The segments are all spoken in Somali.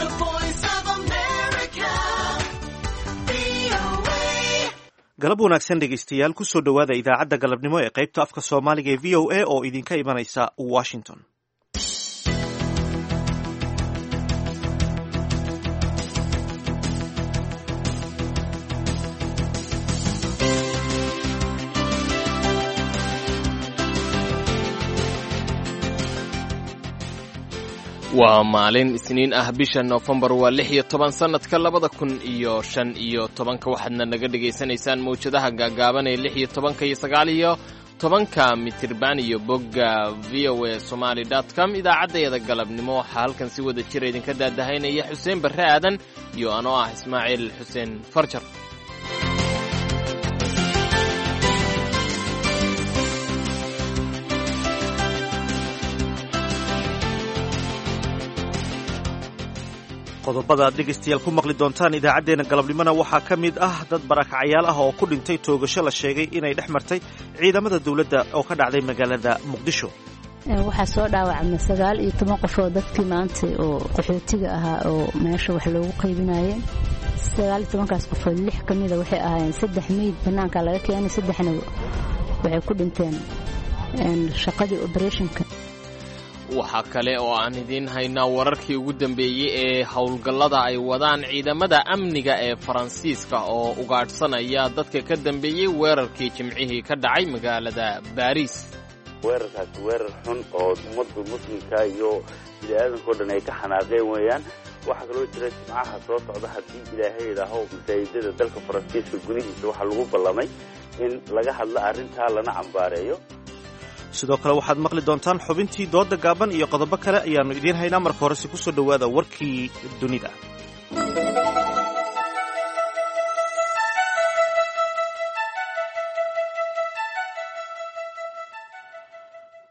The Voice of America, VOA. Galab wanaagsan dhegaystayaal, kusoo dhowaada idaacadda galabnimo ee qaybta afka Soomaaliga ee VOA oo idinka imanaysa Washington. Waa maalin Isniin ah, bisha Noofembar waa 16, sannadka 2015. Waxaadna naga dhegaysanaysaan mawjadaha gaagaaban ee 16-ka iyo 19-ka mitirban iyo bogga VOA Somali com. Idaacaddayada galabnimo waxaa halkan si wada jira idinka daadahaynaya Xuseen Barre Aadan iyo anoo ah Ismaaciil Xuseen Farjar. Qodobada aad dhegaystayaal ku maqli doontaan idaacaddeenna galabnimona waxaa ka mid ah dad barakacyaal ah oo ku dhintay toogasho la sheegay inay dhex martay ciidamada dowladda oo ka dhacday magaalada Muqdisho. Waxaa soo dhaawacmay 19 qof oo dadkii maanta oo qaxootiga ahaa oo meesha wax loogu qaybinayeen. 19-kaas qofood lix ka mida waxay ahaayeen saddex meyd bannaanka laga keenay, saddexna waxay ku dhinteen shaqadii obereshinka. Waxaa kale oo aan idiin haynaa wararkii ugu dambeeyey ee howlgallada ay wadaan ciidamada amniga ee Faransiiska oo ugaadhsanaya dadka ka dambeeyey weerarkii Jimcihii ka dhacay magaalada Baariis. Weerarkaasi weerar xun oo ummadda muslimka iyo bini-aadanka o dhan ay ka xanaaqeen weeyaan. Waxaa kaloo jira Jimcaha soo socda, haddii Ilaahay idhaaho, masaajidada dalka Faransiiska gudihiisa waxaa lagu ballamay in laga hadlo arrintaa lana cambaareeyo. Sidoo kale waxaad maqli doontaan xubintii dooda gaaban iyo qodobo kale ayaannu idiin haynaa. Marka horese kusoo dhowaada warkii dunida.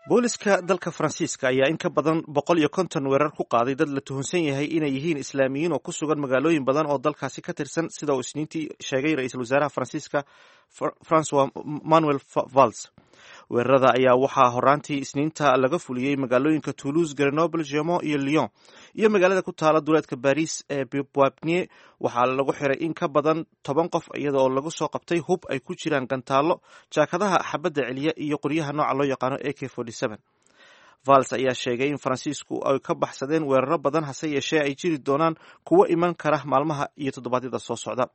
Booliska dalka Faransiiska ayaa in ka badan 150 weerar ku qaaday dad la tuhunsan yahay inay yihiin Islaamiyiin oo ku sugan magaalooyin badan oo dalkaasi ka tirsan, sida uu Isniintii sheegay ra-iisul wasaaraha Faransiiska Francois Manuel Valls. Weerarada ayaa waxaa horaantii Isniinta laga fuliyey magaalooyinka Toulouse, Grenoble, Gemo iyo Lyon iyo magaalada ku taala duleedka Baris ee Poipnier. Waxaa lagu xiray in ka badan 10 qof, iyada oo lagu soo qabtay hub ay ku jiraan gantaallo, jaakadaha xabadda celiya iyo qoryaha nooca loo yaqaano AK. Vals ayaa sheegay in Faransiisku ay ka baxsadeen weeraro badan, hase yeeshee ay jiri doonaan kuwo iman kara maalmaha iyo toddobaadyada soo socda.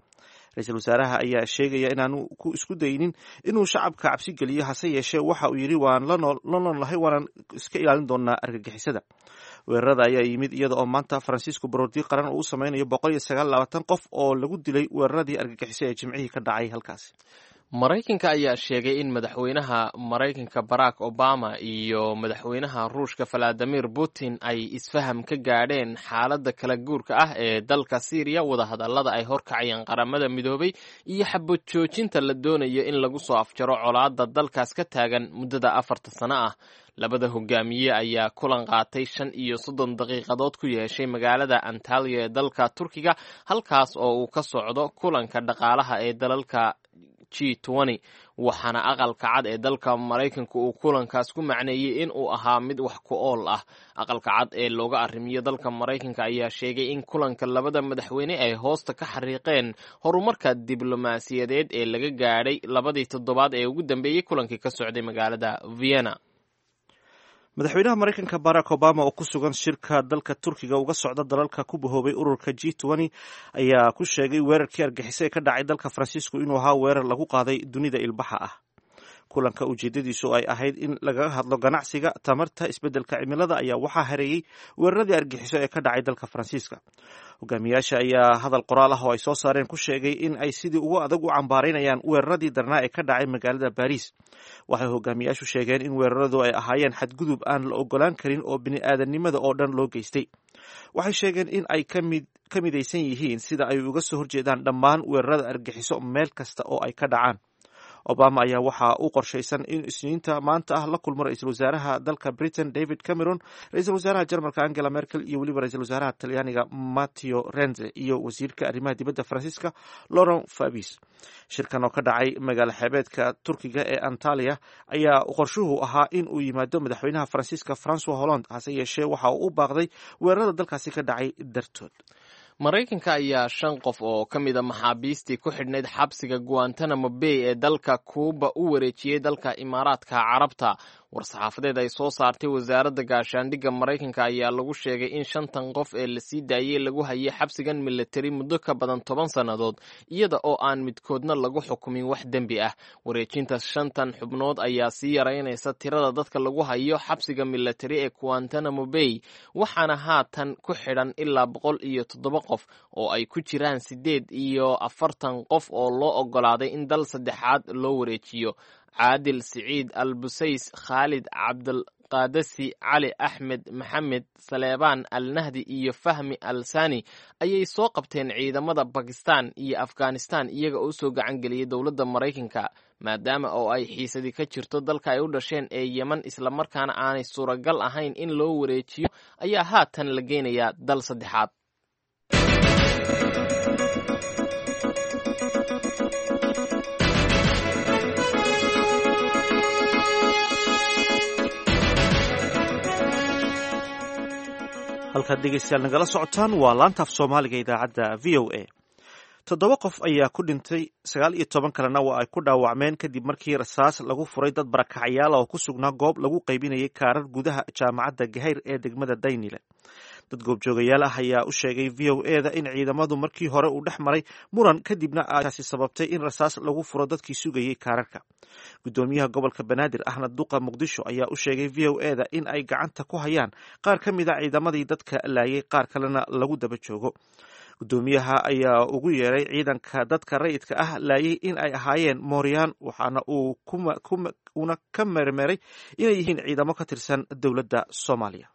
Ra-iisul wasaaraha ayaa sheegaya inaanu ku isku daynin inuu shacabka cabsi geliyo, hase yeeshee waxa uu yidhi: "Waan la noolnahay, waanan iska ilaalin doonaa argagixisada." Weerarada ayaa yimid iyada oo maanta Faransiisku baroordi qaran uu u sameynayo 129 qof oo lagu dilay weeraradii argagixiso ee Jimcihii ka dhacay halkaasi. Maraykanka ayaa sheegay in madaxweynaha Maraykanka Barack Obama iyo madaxweynaha Ruushka Valadimir Putin ay isfaham ka gaadheen xaaladda kala guurka ah ee dalka Siiriya, wadahadallada ay horkacayaan Qaramada Midoobay iyo xabad joojinta la doonayo in lagu soo afjaro colaadda dalkaas ka taagan muddada 4-ta sano ah. Labada hogaamiye ayaa kulan qaatay 35 daqiiqadood ku yeeshay magaalada Antaliya ee dalka Turkiga, halkaas oo uu ka socdo kulanka dhaqaalaha ee dalalka G, waxaana Aqalka Cad ee dalka Maraykanka uu kulankaas ku macneeyey in uu ahaa mid wax ku ool ah. Aqalka Cad ee looga arrimiyo dalka Maraykanka ayaa sheegay in kulanka labada madaxweyne ay hoosta ka xariiqeen horumarka diblomaasiyadeed ee laga gaadhay labadii toddobaad ee ugu dambeeyey kulankii ka socday magaalada Vienna. Madaxweynaha Maraykanka Barack Obama oo ku sugan shirka dalka Turkiga uga socda dalalka ku bahoobay ururka G ayaa ku sheegay weerarkii argixisay ee ka dhacay dalka Faransiisku inuu ahaa weerar lagu qaaday dunida ilbaxa ah. Kulanka ujeedadiisu ay ahayd in lagaga hadlo ganacsiga, tamarta, isbeddelka cimilada ayaa waxaa hareeyey weeraradii argixiso ee ka dhacay dalka Faransiiska. Hogaamiyaasha ayaa hadal qoraal ah oo ay soo saareen ku sheegay in ay sidii ugu adag u cambaaraynayaan weeraradii darnaa ee ka dhacay magaalada Baariis. Waxay hogaamiyaashu sheegeen in weeraradu ay ahaayeen xadgudub aan la ogolaan karin oo bini'aadanimada oo dhan loo geystay. Waxay sheegeen in ay ka midaysan yihiin sida ay uga soo horjeedaan dhammaan weerarada argixiso meel kasta oo ay ka dhacaan. Obama ayaa waxaa u qorshaysan in Isniinta maanta ah la kulmo ra-iisul wasaaraha dalka Britain David Cameron, ra-iisul wasaaraha Jarmalka Angela Merkel iyo weliba ra-iisul wasaaraha Talyaaniga Matteo Renzi iyo wasiirka arrimaha dibadda Faransiiska Laurent Fabius. Shirkan oo ka dhacay magaalo xeebeedka Turkiga ee Antalya ayaa qorshuhu ahaa in uu yimaado madaxweynaha Faransiiska Francois Hollande, hase yeeshee waxa uu u baaqday weerarada dalkaasi ka dhacay dartood. Maraykanka ayaa shan qof oo ka mid a maxaabiistii ku xidhnayd xabsiga Guantanamo Bay ee dalka Kuuba u wareejiyey dalka Imaaraadka Carabta. War-saxaafadeed ay soo saartay wasaaradda gaashaandhigga Maraykanka ayaa lagu sheegay in shantan qof ee lasii daayey lagu hayay xabsigan militari muddo ka badan 10 sannadood, iyada oo aan midkoodna lagu xukumin wax dembi ah. Wareejinta shantan xubnood ayaa sii yaraynaysa tirada dadka lagu hayo xabsiga militari ee Guantanamo Bay, waxaana haatan ku xidhan ilaa 107 qof oo ay ku jiraan 48 qof oo loo oggolaaday in dal saddexaad loo wareejiyo. Caadil Siciid Al Busays, Khaalid Cabdulqaadasi, Cali Axmed Maxamed, Saleebaan Al Nahdi iyo Fahmi Al Sani ayay soo qabteen ciidamada Bakistan iyo Afghanistan, iyaga oo soo gacan geliyey dowladda Maraykanka, maadaama oo ay xiisadi ka jirto dalka ay u dhasheen ee Yemen, islamarkaana aanay suuragal ahayn in loo wareejiyo, ayaa haatan la geynayaa dal saddexaad. Halkaad dhegeystayaal nagala socotaan waa laanta af Soomaaliga idaacadda VOA. Toddoba qof ayaa ku dhintay, 19 kalena waa ay ku dhaawacmeen kadib markii rasaas lagu furay dad barakacyaal oo ku sugnaa goob lagu qaybinayay kaarar gudaha jaamacadda Gahayr ee degmada Daynile. Dad goobjoogayaal ah ayaa u sheegay VOA da in ciidamadu markii hore uu dhex maray muran, kadibna taasi sababtay in rasaas lagu furo dadkii sugayey kaararka. Gudoomiyaha gobolka Banaadir ahna duqa Muqdisho ayaa u sheegay VOA da in ay gacanta ku hayaan qaar ka mid a ciidamadii dadka laayay, qaar kalena lagu daba joogo. Gudoomiyaha ayaa ugu yeeray ciidanka dadka rayidka ah laayay in ay ahaayeen mooryaan, waxaana uu una ka mermeray inay yihiin ciidamo ka tirsan dowladda Soomaaliya.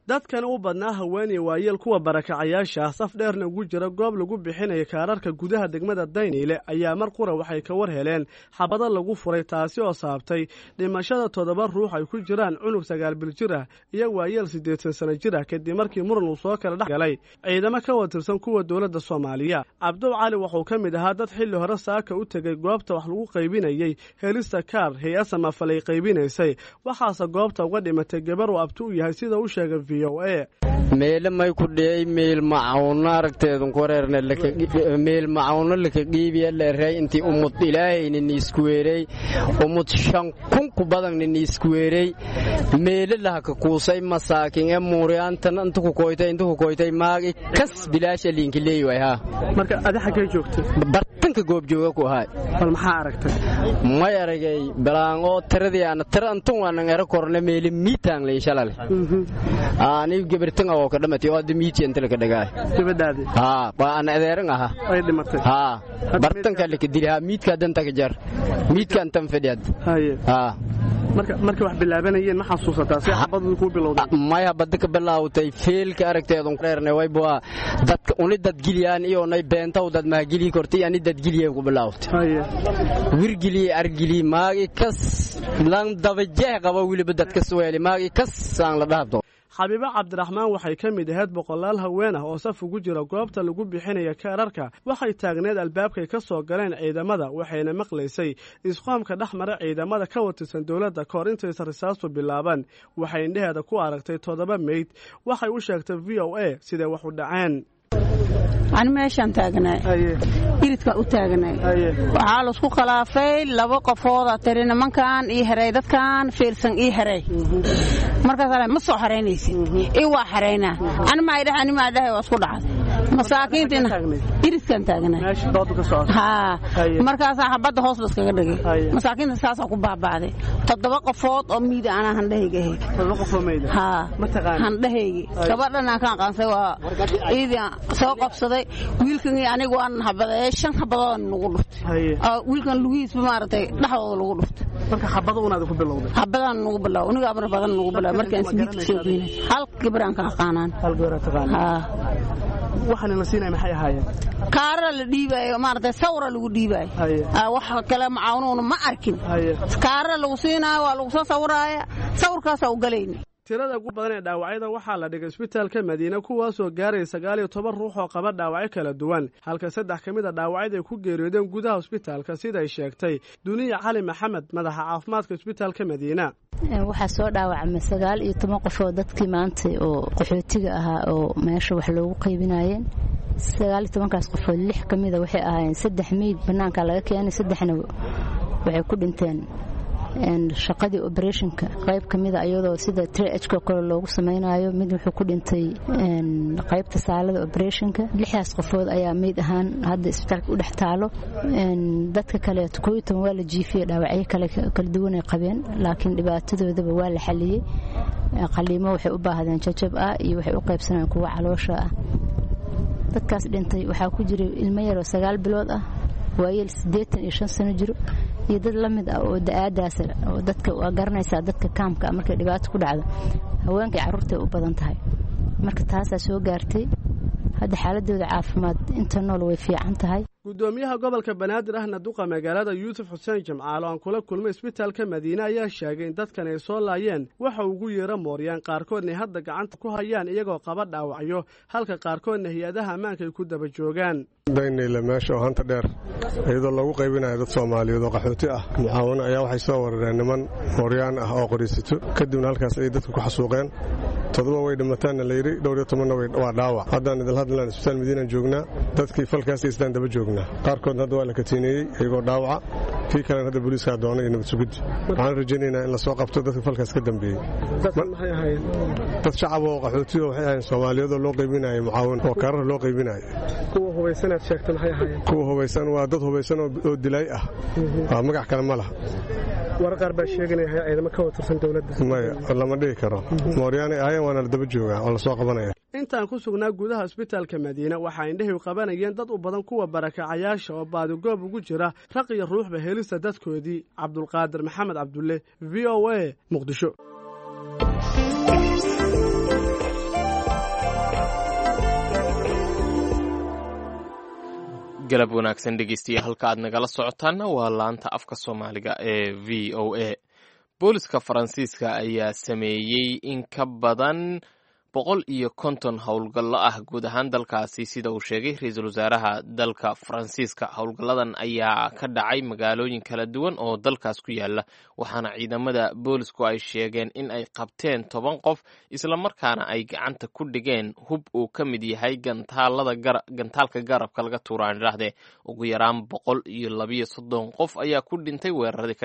Dadkan u badnaa haweeney waayeel kuwa barakacayaasha ah, saf dheerna ugu jira goob lagu bixinaya kaararka gudaha degmada Dayniile, ayaa mar qura waxay ka war heleen xabado lagu furay, taasi oo saabtay dhimashada toddoba ruux ay ku jiraan cunug 9 bil jir ah iyo waayeel 80 sano jir ah, kadib markii muran uu soo kala dhex galay ciidamo ka watirsan kuwa dowladda Soomaaliya. Cabdow Cali wuxuu ka mid ahaa dad xilli hore saaka u tegey goobta wax lagu qaybinayey helista kaar hay-ad samafalay qaybinaysay, waxaase goobta uga dhimatay gabar uu abti u yahay, sida u sheegay. Meele may ku dhiyey meel macawnno aragteedun ku wareerne, meel macawnno laka dhiibiya leerey intii umud ilaahayna niisku weerey, umud 5000 ku badanna niisku weerey, meele lahaka kuusay masaakin ee muuryaantan inta ku koytay, inta ku koytay, maagi kas bilaasha liinka leeyi waay haa. Marka adi xaggee joogtay? Bartanka goobjooga ku ahay. Bal maxaa aragtay? May aragay balaan oo tiradii ana tira antun waanan ero korne meele miitaan leyn shalale anigu gabartan oo ka dhamatay oo hadda miiti inta laka dhagaay. Gabadhaadi? Haa, waa ana adeeran aha. Ay dhimatay? Haa, bartanka laka dili haa, miidka danta ka jar, miidka antan fadhiyad. Haye. Haa. Marka wax bilaabanayeen ma xasuusataa si xabadu ku bilowday? Maya, badda ka bilaawtay feelka aragteedun reerne wayba dadka uni dadgiliyaan iyo nay beentaw dad mahagiliyi kortay ani dadgiliyay ku bilaawtay. Wirgiliye argiliye maagi kas lan dabajeeh qaba weliba dadka suweeli maagi kas aan la dhahabto. Xabiibo Cabdiraxmaan waxay ka mid ahayd boqolaal haween ah oo saf ugu jira goobta lagu bixinaya kaararka. Waxay taagneed albaabkay ka soo galeen ciidamada, waxayna maqlaysay isqoomka dhex mara ciidamada ka watirsan dowladda kahor intaysa risaastu bilaaban. Waxay indheheeda ku aragtay toddoba meyd. Waxay u sheegtay VOA siday wax u dhaceen. Ani meeshaan taagnaay, iridkaa u taagnaay, waxaa laisku khilaafay laba qofoodaa tiri nimankan ii heray, dadkan fiirsan ii heray. Markaas ma soo xaraynaysid i waa xaraynaa, ani maa idhaha, ani maa idhahay, waa isku dhacday. Masaakiintiina iridkaan taagnaay haa. Markaasaa xabadda hoos la iskaga dhigay, masaakiinta saasaa ku baaba'day. Toddoba qofood oo miida anaa handhahayga ahayd haa, handhahaygi gabadhan aan ka aqaansay waa iidii soo qabsaday. Wiilkan iyo anigu waan habadeeyay, shan habadood nagu dhuftay wiilkan lugihiisba maaragtay dhexdooda lagu dhuftay. Marka xabado unaad ku bilowday? Xabadaan nagu bilow, aniga abna badan nagu bilow. Markaan ismiidka soo geynay hal gabaraan ka aqaanaan. Hal gabar taqaanaa? Haa. Waxaana la siinaya maxay ahaayeen? Kaarara la dhiibaayo, maaragtay, sawra lagu dhiibaayo. Wax kale macaawinuuna ma arkin. Kaarara lagu siinaayo, waa lagu soo sawraaya, sawirkaasaa u galayna. Tirada ugu badan ee dhaawacyada waxaa la dhigay isbitaalka Madiine, kuwaasoo gaaraya 19 ruux oo qaba dhaawacyo kala duwan, halka 3 ka mid a dhaawacyada ay ku geeriyoodeen gudaha isbitaalka, siday sheegtay Duniya Cali Maxamed, madaxa caafimaadka isbitaalka Madiina. Waxaa soo dhaawacmay 19 qof oo dadkii maanta oo qaxootiga ahaa oo meesha wax loogu qaybinayeen. 19-kaas qofood 6 ka mida waxay ahaayeen 3 meyd bannaanka laga keenay, 3na waxay ku dhinteen shaqadii operationka qayb ka mida, iyadoo sida triageka kale loogu samaynayo. Mid wuxuu ku dhintay qaybta saalada operationka. 6daas qofood ayaa meyd ahaan hadda isbitaalka u dhex taalo. Dadka kaleeto 11 waa la jiifiyey, dhaawacyo kale kala duwan ay qabeen, laakiin dhibaatadoodaba waa la xaliyey. Qaliimo waxay u baahdeen jajab ah iyo waxay u qaybsanayeen kuwa caloosha ah. Dadkaas dhintay waxaa ku jiray ilmo yaroo 9 bilood ah, waayeel 85 sano jiro iyo dad la mid ah oo da-aadaas oo dadka waa garanaysaa. Dadka kaamka markay dhibaato ku dhacdo, haweenkay carruurtay u badan tahay. Marka taasaa soo gaartay. Hadda xaaladooda caafimaad inta nool way fiican tahay. Gudoomiyaha gobolka Banaadir ahna duqa magaalada, Yuusuf Xuseen Jimcaale, oo aan kula kulmay isbitaalka Madiine, ayaa sheegay in dadkan ay soo laayeen waxa ugu yeera mooryaan, qaarkoodna ay hadda gacanta ku hayaan iyagoo qaba dhaawacyo, halka qaarkoodna hay-adaha ammaanka ay ku daba joogaan. Daynayla meesha oo hanta dheer, iyadoo loogu qaybinayo dad Soomaaliyeed oo qaxooti ah mucaawano, ayaa waxay soo warareen niman mooryaan ah oo qoriisito. Kadibna halkaas ayay dadka ku xasuuqeen. 7 way dhimataanna layidhi, dhowr iyo tobanna waa dhaawac. Haddaan idil hadlaan isbitaal Madiinaan joognaa. Dadkii falkaas istaan daba joognaa. Qaarkoodna hadda waa la katiineeyey iyagoo dhaawaca, kii kalena hadda booliiskaa doonay iyo nabad sugiddi. Waxaan rajaynaynaa in lasoo qabto dadka falkaas ka dambeeyey. Dad shacab oo qaxootiyo waxay ahayn Soomaaliyeedoo loo qaybinayo mucaawin oo kaarar loo qaybinayo. Kuwa hubaysan waa dad hubaysan oo dilay ah, waa magac kale ma laha. Warar qaar baa sheeganaya ciidamo ka watirsan dowladda. Maya, lama dhihi karo. Mooryaanay ahayen, waana la daba joogaa oo lasoo qabanaya. Intaan ku sugnaa gudaha isbitaalka Madiine, waxaa indhahay qabanayeen dad u badan kuwa barakacayaasha oo baadigoob ugu jira raq iyo ruuxba helista dadkoodii. Cabdulqaadir Maxamed Cabdulle, VOA, Muqdisho. Galab wanaagsan dhegeystayaal, halka aad nagala socotaanna waa laanta afka Soomaaliga ee VOA. Booliska Faransiiska ayaa sameeyey in ka badan 150 howlgallo ah guud ahaan dalkaasi, sida uu sheegay ra-iisul wasaaraha dalka Faransiiska. Howlgalladan ayaa ka dhacay magaalooyin kala duwan oo dalkaas ku yaala, waxaana ciidamada boolisku ay sheegeen in ay qabteen 10 qof, islamarkaana ay gacanta ku dhigeen hub uu ka mid yahay gantaalka garabka laga tuuraan idhaahdee. Ugu yaraan 132 qof ayaa ku dhintay weeraradii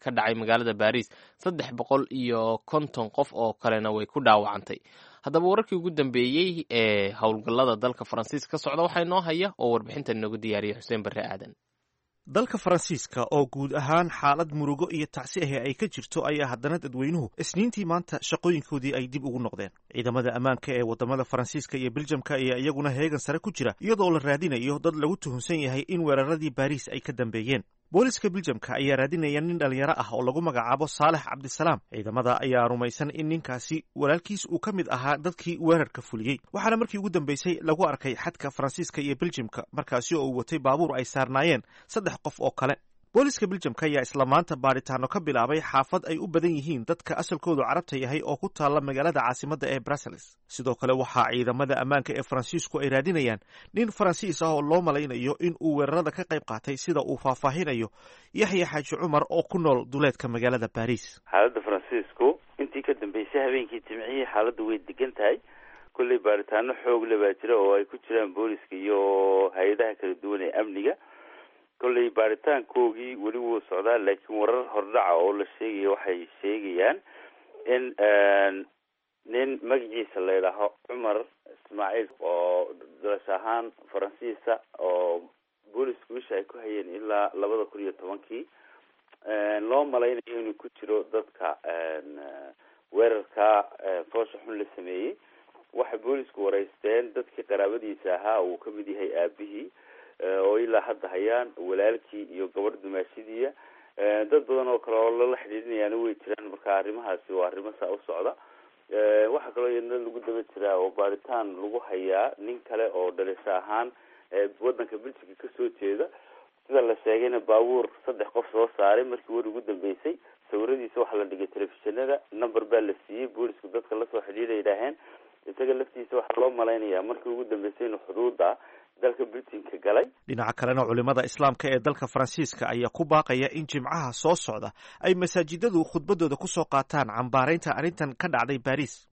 ka dhacay magaalada Baariis, 350 qof oo kalena way ku dhaawacantay. Haddaba wararkii ugu dambeeyey ee howlgallada dalka Faransiiska ka socda waxaa inoo haya oo warbixinta inoogu diyaariyay Xuseen Barre Aadan. Dalka Faransiiska oo guud ahaan xaalad murugo iyo tacsi ahi ay ka jirto ayaa haddana dadweynuhu Isniintii maanta shaqooyinkoodii ay dib ugu noqdeen. Ciidamada ammaanka ee wadamada Faransiiska iyo Biljamka ayaa iyaguna heegan sare ku jira, iyadoo la raadinayo dad lagu tuhunsan yahay in weeraradii Baariis ay ka dambeeyeen. Booliska Biljamka ayaa raadinaya nin dhalinyaro ah oo lagu magacaabo Saalex Cabdisalaam. Ciidamada ayaa rumaysan in ninkaasi walaalkiis uu ka mid ahaa dadkii weerarka fuliyey, waxaana markii ugu dambeysay lagu arkay xadka Faransiiska iyo Biljamka, markaasi oo uu watay baabuur ay saarnaayeen 3 qof oo kale. Booliska Biljamka ayaa isla maanta baadhitaano ka bilaabay xaafad ay u badan yihiin dadka asalkoodu Carabta yahay oo ku taalla magaalada caasimadda ee Brussels. Sidoo kale waxaa ciidamada ammaanka ee Faransiisku ay raadinayaan nin Faransiis ah oo loo malaynayo in uu weerarada ka qayb qaatay, sida uu faahfaahinayo Yaxya Xaaji Cumar oo ku nool duleedka magaalada Baariis. Xaaladda Faransiisku intii ka dambeysay habeenkii Jimcihii xaaladdu way degan tahay. Kolley baaritaano xoog le baa jira oo ay ku jiraan booliska iyo hay-adaha kala duwan ee amniga. Kolley baaritaankoogii weli wuu socdaa, laakiin warar hordhaca oo la sheegaya waxay sheegayaan in nin magaciisa la yidhaaho Cumar Ismaaciil oo dalasho ahaan Faransiisa oo boolisku isha ay ku hayeen ilaa 2010-kii, loo malaynayo inuu ku jiro dadka weerarka foosha xun la sameeyey. Waxay boolisku wareysteen dadkii qaraabadiisa ahaa, uu kamid yahay aabihii oo ilaa hadda hayaan, walaalkii iyo gabadh dumaashidiiya. Dad badan oo kale oo lala xidhiidhinayaana way jiraan. Marka arrimahaasi waa arrimo saa u socda. Waxaa kaloo iyadna lagu daba jiraa oo baaritaan lagu hayaa nin kale oo dhalisho ahaan waddanka Belgica kasoo jeeda. Sida la sheegayna baabuur 3 qof soo saaray markii war ugu dambeysay. Sawiradiisa waxaa la dhigay telefishinada, number baa la siiyey, boolisku dadka lasoo xidhiidha yidhaaheen. Isaga laftiisa waxaa loo malaynayaa markii ugu dambeysay inuu xuduuda dalka Britain-ka galay. Dhinaca kalena, culimada Islaamka ee dalka Faransiiska ayaa ku baaqaya in Jimcaha soo socda ay masaajidadu khudbadooda kusoo qaataan cambaaraynta arrintan ka dhacday Baris.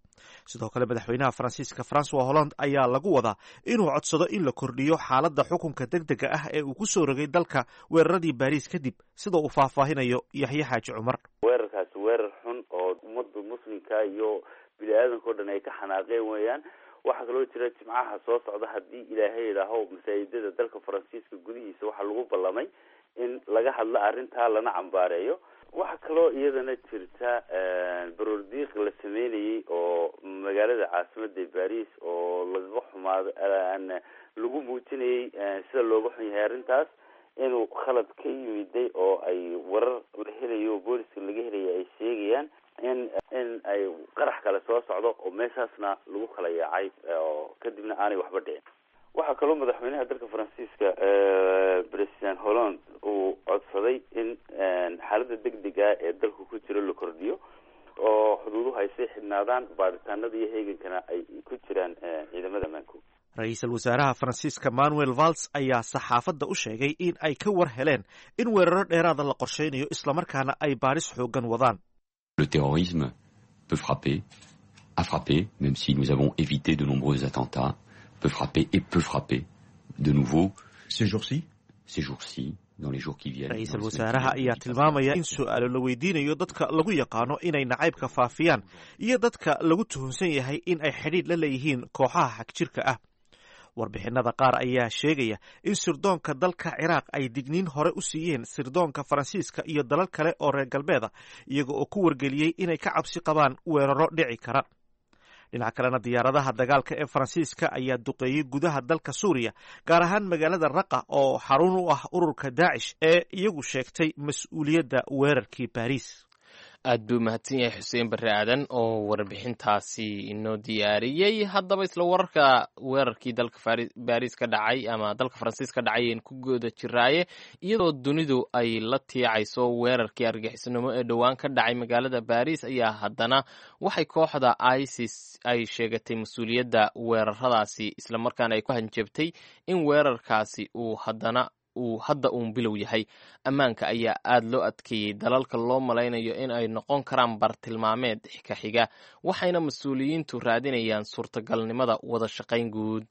Sidoo kale, madaxweynaha Faransiiska Francois Hollande ayaa lagu wadaa inuu codsado in la kordhiyo xaaladda xukunka degdega ah ee uu ku soo rogay dalka weeraradii Baris kadib, sida uu faahfaahinayo Yaxye Xaaji Cumar. Weerarkaasi weerar xun oo ummadda muslimka iyo bini aadanka o dhan ay ka xanaaqeen weeyaan. Waxaa kaloo jira Jimcaha soo socda, haddii Ilaahay idhaaho, masaajidada dalka Faransiiska gudihiisa waxaa lagu ballamay in laga hadlo arrintaa lana cambaareeyo. Waxaa kaloo iyadana jirta baroordiiq la sameynayay oo magaalada caasimada Baris oo lagaga xumaado, lagu muujinayay sida looga xun yahay arrintaas, inuu khalad ka yimiday oo ay warar la helayo, booliska laga helaya, ay sheegayaan in ay qarax kale soo socdo oo meeshaasna lagu kala yaacay oo kadibna aanay waxba dhicin. Waxaa kaloo madaxweynaha dalka Faransiiska, President Hollande, uu codsaday in xaaladda degdega ee dalku ku jiro la kordhiyo oo xuduuduhu ay sii xidhnaadaan, baaritaanada iyo heegankana ay ku jiraan ciidamada ammaanku. Ra-iisul wasaaraha Faransiiska Manuel Valls ayaa saxaafadda u sheegay in ay ka war heleen in weeraro dheeraada la qorsheynayo, islamarkaana ay baadhis xooggan wadaan. Le terrorisme peut frapper, a frappé, même si nous avons évité de nombreux attentats, peut frapper et peut frapper de nouveau. Ces jours-ci. Ces jours-ci, dans les jours qui viennent. Ra-iisul wasaaraha ayaa tilmaamaya in su-aalo la weydiinayo dadka lagu yaqaano inay nacaybka faafiyaan iyo dadka lagu tuhunsan yahay in ay xidhiidh la leeyihiin kooxaha xagjirka ah. Warbixinada qaar ayaa sheegaya in sirdoonka dalka Ciraaq ay digniin hore u siiyeen sirdoonka Faransiiska iyo dalal kale oo reer galbeeda, iyaga oo ku wargeliyey inay ka cabsi qabaan weeraro dhici kara. Dhinaca kalena, diyaaradaha dagaalka ee Faransiiska ayaa duqeeyey gudaha dalka Suuriya, gaar ahaan magaalada Raqa oo xarun u ah ururka Daacish ee iyagu sheegtay mas-uuliyadda weerarkii Baariis. Aad buu mahadsan yahay Xuseen Barre Aadan oo warbixintaasi inoo diyaariyey. Haddaba, isla wararka weerarkii dalka Baris ka dhacay ama dalka Faransiis ka dhacay ayaan ku gooda jiraaye. Iyadoo dunidu ay la tiicayso weerarkii argixisnimo ee dhowaan ka dhacay magaalada Baris, ayaa haddana waxay kooxda ISIS ay sheegatay mas-uuliyadda weeraradaasi, islamarkaana ay ku hanjabtay in weerarkaasi uu haddana uu hadda uun bilow yahay. Ammaanka ayaa aada loo adkeeyey dalalka loo malaynayo in ay noqon karaan bartilmaameed ka xiga, waxayna mas-uuliyiintu raadinayaan suurtagalnimada wada shaqayn guud.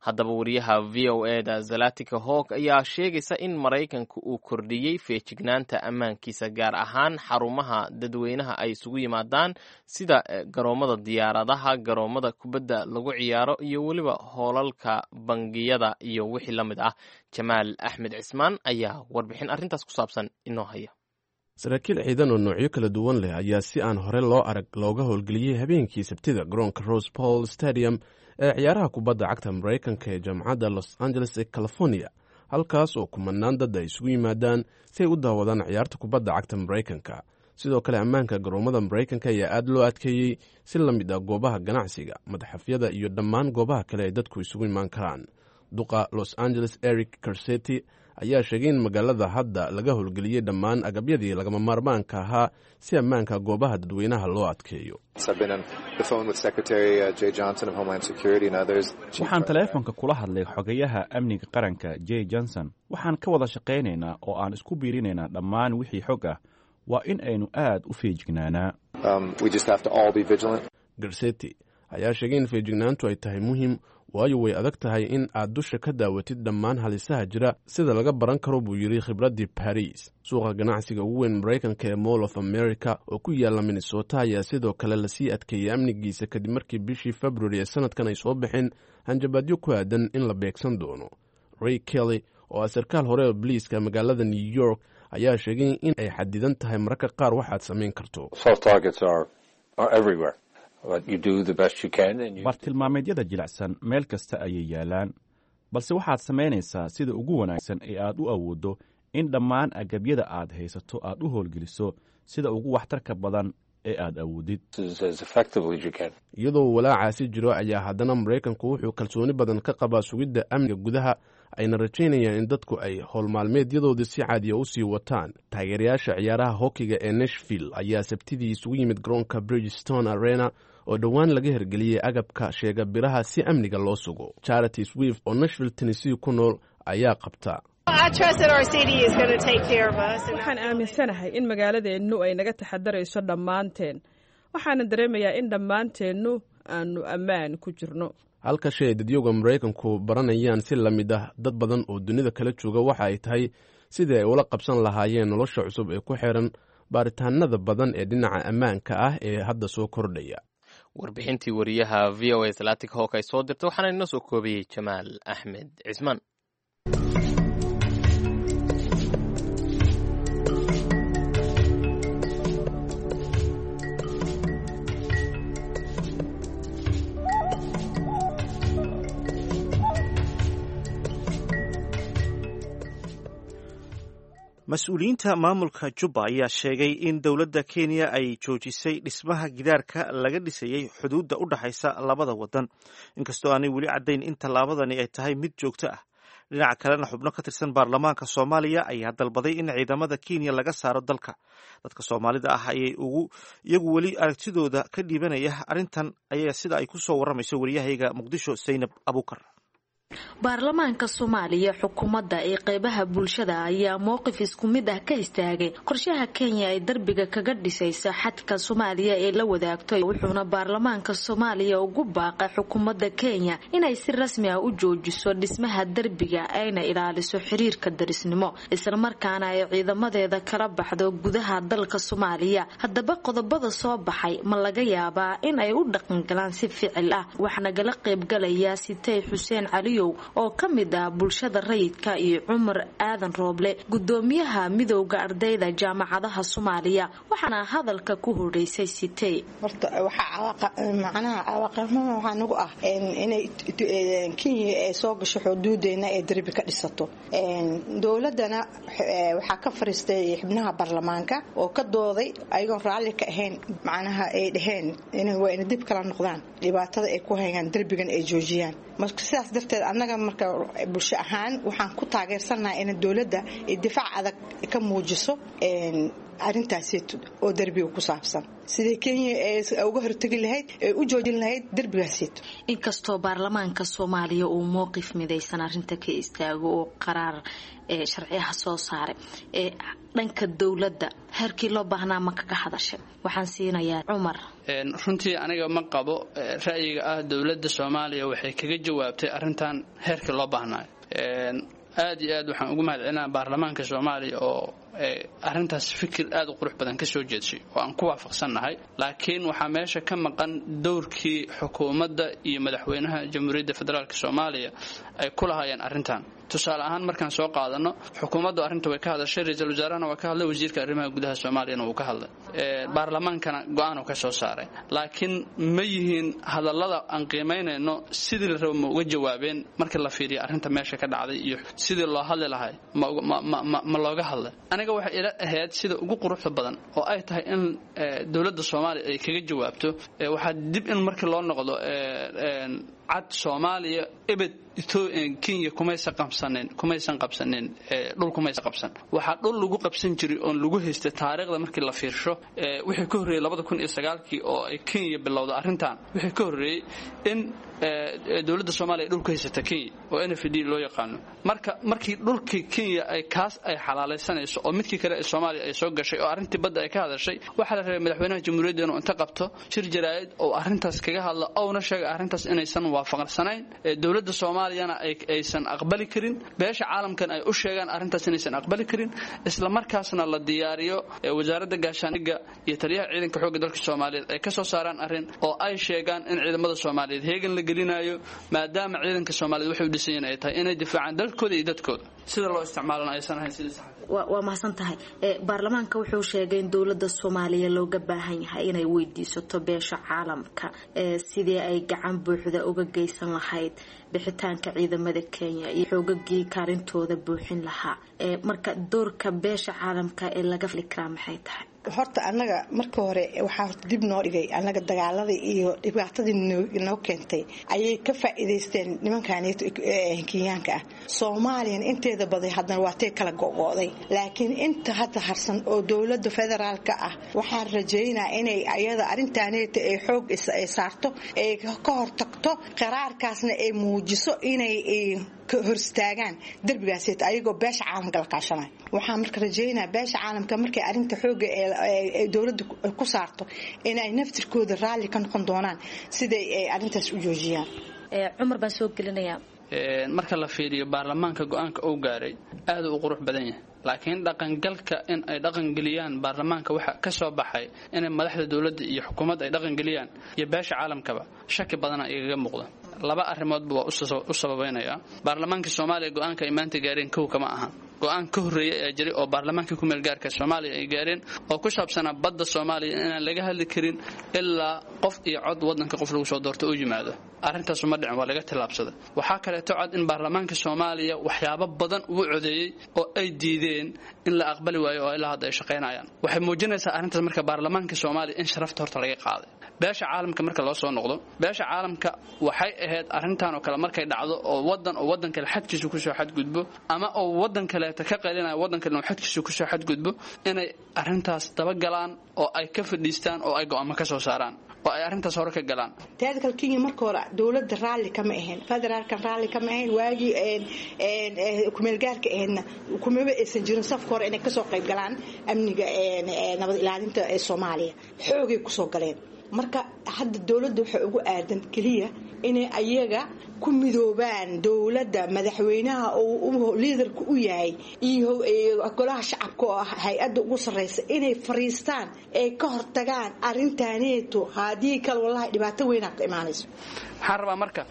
Haddaba, wariyaha VOA da Zalatika Hawk ayaa sheegaysa in Maraykanku uu kordhiyey feejignaanta ammaankiisa, gaar ahaan xarumaha dadweynaha ay isugu yimaadaan sida garoomada diyaaradaha, garoomada kubadda lagu ciyaaro iyo weliba hoolalka bangiyada iyo wixii la mid ah. Jamaal Axmed Cismaan ayaa warbixin arrintaas ku saabsan inoo haya. Saraakiil ciidan oo noocyo kala duwan leh ayaa si aan hore loo arag looga howlgeliyey habeenkii Sabtida garoonka Rose Bowl Stadium ee ciyaaraha kubadda cagta Maraykanka ee jaamacadda Los Angeles ee California, halkaas oo kumanaan dad ay isugu yimaadaan si ay u daawadaan ciyaarta kubadda cagta Maraykanka. Sidoo kale, ammaanka garoomada Maraykanka ayaa aad loo adkeeyey, si la mid ah goobaha ganacsiga, madxafyada iyo dhammaan goobaha kale ay dadku isugu imaan karaan. Duqa Los Angeles Eric Garcetti ayaa sheegay in magaalada hadda laga howlgeliyey dhammaan agabyadii lagama maarmaanka ahaa si ammaanka goobaha dadweynaha loo adkeeyo. Waxaan taleefonka kula hadlay xogayaha amniga qaranka J Johnson. Waxaan ka wada shaqaynaynaa oo aan isku biirinaynaa dhammaan wixii xog ah. Waa in aynu aad u feejignaanaa. Garcetti ayaa sheegay in feejignaantu ay tahay muhiim, waayo way adag tahay in aad dusha ka daawatid dhammaan halisaha jira, sida laga baran karo, buu yidhi, khibraddii Baris. Suuqa ganacsiga ugu weyn Maraykanka ee Mall of America oo ku yaalla Minnesota ayaa sidoo kale lasii adkeeyey amnigiisa kadib markii bishii February ee sanadkan ay soo baxeen hanjabaadyo ku aadan in la beegsan doono. Ray Kelly oo ah sarkaal hore oo boliiska magaalada New York ayaa sheegay in ay xadidan tahay mararka qaar waxaad samayn karto. Bartilmaameedyada jilicsan meel kasta ayay yaalaan, balse waxaad samaynaysaa sida ugu wanaagsan ee aad u awooddo in dhammaan agabyada aad haysato aad u howlgeliso sida ugu waxtarka badan ee aad awoodid. Iyadoo walaacaasi jiro ayaa haddana Maraykanku wuxuu kalsooni badan ka qabaa sugidda amniga gudaha, ayna rajaynayaan in dadku ay howlmaalmeedyadoodii si caadiya u sii wataan. Taageerayaasha ciyaaraha hokiga ee Nashville ayaa Sabtidii isugu yimid garoonka Bridgestone Arena oo dhowaan laga hirgeliyey agabka sheega biraha si amniga loo sugo. Charity Swift oo Nashville, Tennessee ku nool ayaa qabta. Waxaan aaminsanahay in magaaladeennu ay naga taxadarayso dhammaanteen, waxaana dareemayaa in dhammaanteennu aanu ammaan ku jirno. Halka shay ay dadyowga Maraykanku baranayaan si la mid ah dad badan oo dunida kala jooga waxa ay tahay sidii ay ula qabsan lahaayeen nolosha cusub ee ku xiran baaritaanada badan ee dhinaca ammaanka ah ee hadda soo kordhaya. Warbixintii wariyaha VOA Atlantic Hawk ay soo dirtay waxaana inoo soo koobayey Jamaal Axmed Cismaan. Mas-uuliyiinta maamulka Jubba ayaa sheegay in dowladda Kenya ay joojisay dhismaha gidaarka laga dhisayey xuduudda u dhexaysa labada waddan, inkastoo aanay weli caddayn in tallaabadani ay tahay mid joogto ah. Dhinaca kalena, xubno ka tirsan baarlamaanka Soomaaliya ayaa dalbaday in ciidamada Kenya laga saaro dalka. Dadka Soomaalida ah ayay iyagu weli aragtidooda ka dhiibanaya arrintan ayaa, sida ay ku soo warramayso wariyahayga Muqdisho, Saynab Abuukar. Baarlamaanka Soomaaliya, xukuumadda ee qeybaha bulshada ayaa mowqif isku mid ah ka istaagay qorshaha Kenya ay darbiga kaga dhisaysa xadka Soomaaliya ee la wadaagto, wuxuuna baarlamaanka Soomaaliya ugu baaqay xukuumadda Kenya inay si rasmi ah u joojiso dhismaha derbiga, ayna ilaaliso xiriirka darisnimo, islamarkaana ay ciidamadeeda kala baxdo gudaha dalka Soomaaliya. Haddaba, qodobada soo baxay ma laga yaabaa in ay u dhaqangalaan si ficil ah? Waxaa nagala qeybgalaya Sitey Xuseen Caliyow oo ka mid ah bulshada rayidka iyo Cumar Aadan Rooble, gudoomiyaha midowda ardayda jaamacadaha Soomaaliya. Waxaana hadalka ku horeysay Sitey. Horta waxaa macnaha cawaaqibnimo waxaa nagu ah inay Kenya ay soo gasho xuduudeena ee darbi ka dhisato. Dowladana waxaa ka fariistay xubnaha baarlamaanka oo ka dooday ayagoon raalli ka ahayn, macnaha ay dhaheen in waa ina dib kala noqdaan dhibaatada ay ku hayaan, derbigan ay joojiyaan. Marka sidaas darteed annaga marka bulsho ahaan waxaan ku taageersanahay in dowladda ay difaac adag ka muujiso arrintaasi oo derbiga ku saabsan, sidai Kenya ay uga hortegi lahayd ee u joojin lahayd derbigaasito. Inkastoo baarlamaanka Soomaaliya uu mowqif midaysan arrinta ka istaago oo qaraar sharci ah soo saaray, ee dhanka dowladda heerkii loo baahnaa ma kaga hadashay? Waxaan siinayaa Cumar. Runtii aniga ma qabo ra'yiga ah dowladda Soomaaliya waxay kaga jawaabtay arrintan heerkii loo baahnaayo. Aad iyo aad waxaan ugu mahadcelinaa baarlamaanka Soomaaliya oo arrintaas fikir aad u qurux badan ka soo jeedshay oo aan ku waafaqsannahay, laakiin waxaa meesha ka maqan dowrkii xukuumadda iyo madaxweynaha Jamhuuriyadda Federaalk Soomaaliya ay ku lahaayeen arrintan. Tusaale ahaan markaan soo qaadano, xukuumaddu arrinta way ka hadashay, ra-iisul wasaarahana waa ka hadlay, wasiirka arrimaha gudaha Soomaaliyana wuu ka hadlay, baarlamaankana go-aan uu ka soo saaray. Laakiin ma yihiin hadallada aan qiimaynayno sidii la rabo ma uga jawaabeen marka la fiiriyo arrinta meesha ka dhacday iyo sidii loo hadli lahay ma looga hadlay? Aniga waxay ila ahayd sida ugu quruxda badan oo ay tahay in dowladda Soomaaliya ay kaga jawaabto waxaa dib in markii loo noqdo cad Soomaaliya ebed Kenya kumaysan qabsanin dhul, kumaysan qabsan. Waxaa dhul lagu qabsan jiray oon lagu haystay taariikhda markii la fiirsho wixii ka horreeyey 2009-kii oo ay Kenya bilowda arrintan, wixii ka horreeyey in dowladda Soomaaliya ay dhul ku haysata Kenya oo NFD loo yaqaano. Marka markii dhulkii Kenya ay kaas ay xalaalaysanayso oo midkii kale ee Soomaaliya ay soo gashay oo arrintii badda ay ka hadashay, waxaa la rabay madaxweynaha jamhuuriyadda inuu inta qabto shir jaraa'id oo arrintaas kaga hadla, ouna sheega arrintaas inaysan waafaqsanayn dowladda Soomaaliyana aysan aqbali karin, beesha caalamkan ay u sheegaan arrintaas inaysan aqbali karin, isla markaasna la diyaariyo wasaaradda gaashaandhigga iyo taliyaha ciidanka xoogga dalka Soomaaliyeed ay ka soo saaraan arrin oo ay sheegaan in ciidamada Soomaaliyeed heegan la gelinayo, maadaama ciidanka Soomaaliyeed waxay u dhisan yihiin ay tahay inay difaacaan dalkooda iyo dadkooda, sida loo isticmaalana aysan ahayn sidii sax. Waa mahadsan tahay. Baarlamaanka wuxuu sheegay in dowladda Soomaaliya looga baahan yahay inay weydiisato beesha caalamka sidii ay gacan buuxda uga geysan lahayd bixitaanka ciidamada Kenya iyo xoogagii kaalintooda buuxin lahaa. Marka doorka beesha caalamka ee laga fili karaa maxay tahay? Horta annaga marka hore waxaa horta dib noo dhigay annaga dagaaladii iyo dhibaatadii noo keentay ayay ka faa'iidaysteen nimankan Kenyaanka ah. Soomaaliyana inteeda baday haddana waatay kala go'go'day, laakiin inta hadda harsan oo dowladda federaalka ah waxaan rajaynaa inay ayada arrintaaneeta ay xoog ay saarto, ay ka hortagto qaraarkaasna, ay muujiso inay ka horstaagaan derbigaaseta ayagoo beesha caalamka la kaashanaya. Waxaan marka rajaynaa beesha caalamka markay arrinta xoogga ee dowladda ku saarto inay naftirkooda raalli ka noqon doonaan siday ay arrintaas u joojiyaan. Cumar baan soo gelinayaa. Marka la fiiriyo baarlamaanka go-aanka uu gaaray aad u qurux badan yahay, laakiin dhaqangalka in ay dhaqangeliyaan baarlamaanka waxa ka soo baxay inay madaxda dowladda iyo xukuumadda ay dhaqangeliyaan iyo beesha caalamkaba shaki badana igaga muuqda. Laba arrimoodba waa u sababaynayaa. Baarlamaanka Soomaaliya go-aanka ay maanta gaareen kow kama ahan. Go-aan ka horreeyay ayaa jiray oo baarlamaanka ku meelgaarka Soomaaliya ay gaareen oo ku saabsanaa badda Soomaaliya inaan laga hadli karin ilaa qof iyo cod waddanka qof lagu soo doorto uu yimaado. Arrintaasu ma dhicin, waa laga tillaabsaday. Waxaa kaleeto cod in baarlamaanka Soomaaliya waxyaabo badan ugu codeeyey oo ay diideen in la aqbali waayo oo ilaa hadda ay shaqaynayaan. Waxay muujinaysaa arrintaas marka baarlamaanka Soomaaliya in sharafta horta laga qaaday. Beesha caalamka marka loo soo noqdo, beesha caalamka waxay ahayd arrintan oo kale markay dhacdo oo wadan oo wadan kale xadkiisu kusoo xadgudbo ama oo wadan kaleeta ka qaylinaya wadan kale inuu xadkiisu kusoo xadgudbo, inay arrintaas dabagalaan oo ay ka fadhiistaan oo ay go'aamo ka soo saaraan oo ay arrintaas hore ka galaan. Teeda kale, Kenya marka hore dowladda raalli kama ahayn, federaalkan raalli kama ahayn. Waagii kumeelgaarka ahaydna kumaba aysan jirin safka hore inay kasoo qayb galaan amniga nabad ilaalinta ee Soomaaliya. Xoogay kusoo galeen. Marka hadda dowladda waxay ugu aadan keliya inay ayaga ku midoobaan dowladda madaxweynaha oo liidarka u yahay iyo golaha shacabka oo ah hay-adda ugu sarreysa inay fariistaan ay ka hortagaan arrintaaneeto. Haddii kale, wallahi, dhibaato weynaa ka imaanayso. Waxaan rabaa marka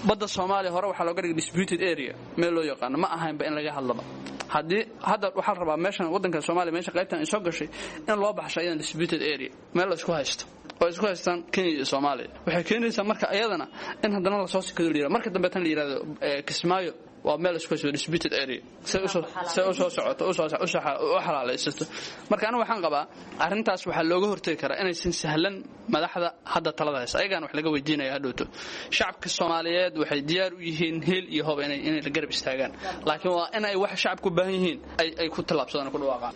badda Soomaaliya hore waxaa looga dhigay disputed area meel loo yaqaano, ma ahaynba in laga hadlaba. Haddii hadda waxaa la rabaa meeshan waddanka Soomaaliya meesha qaybtan ay soo gashay in loo baxsho iyadan disputed area, meel la isku haysto oo isku haystaan Kenya iyo Soomaaliya. Waxay keenaysaa marka iyadana in haddana lasoo sikado la yirahdo marka dambe tan la yirahdo Kismaayo waa meel isku haysto, disputed area, say usoo socoto u xalaalaysato. Marka anigu waxaan qabaa arrintaas waxaa looga hortagi karaa inaysan sahlan madaxda hadda talada haysa, ayagaan wax laga weydiinaya hadhowto. Shacabka Soomaaliyeed waxay diyaar u yihiin heel iyo hob inay la garab istaagaan, laakiin waa in ay wax shacabku u baahan yihiin ay ku tallaabsadaan oo ku dhawaaqaan.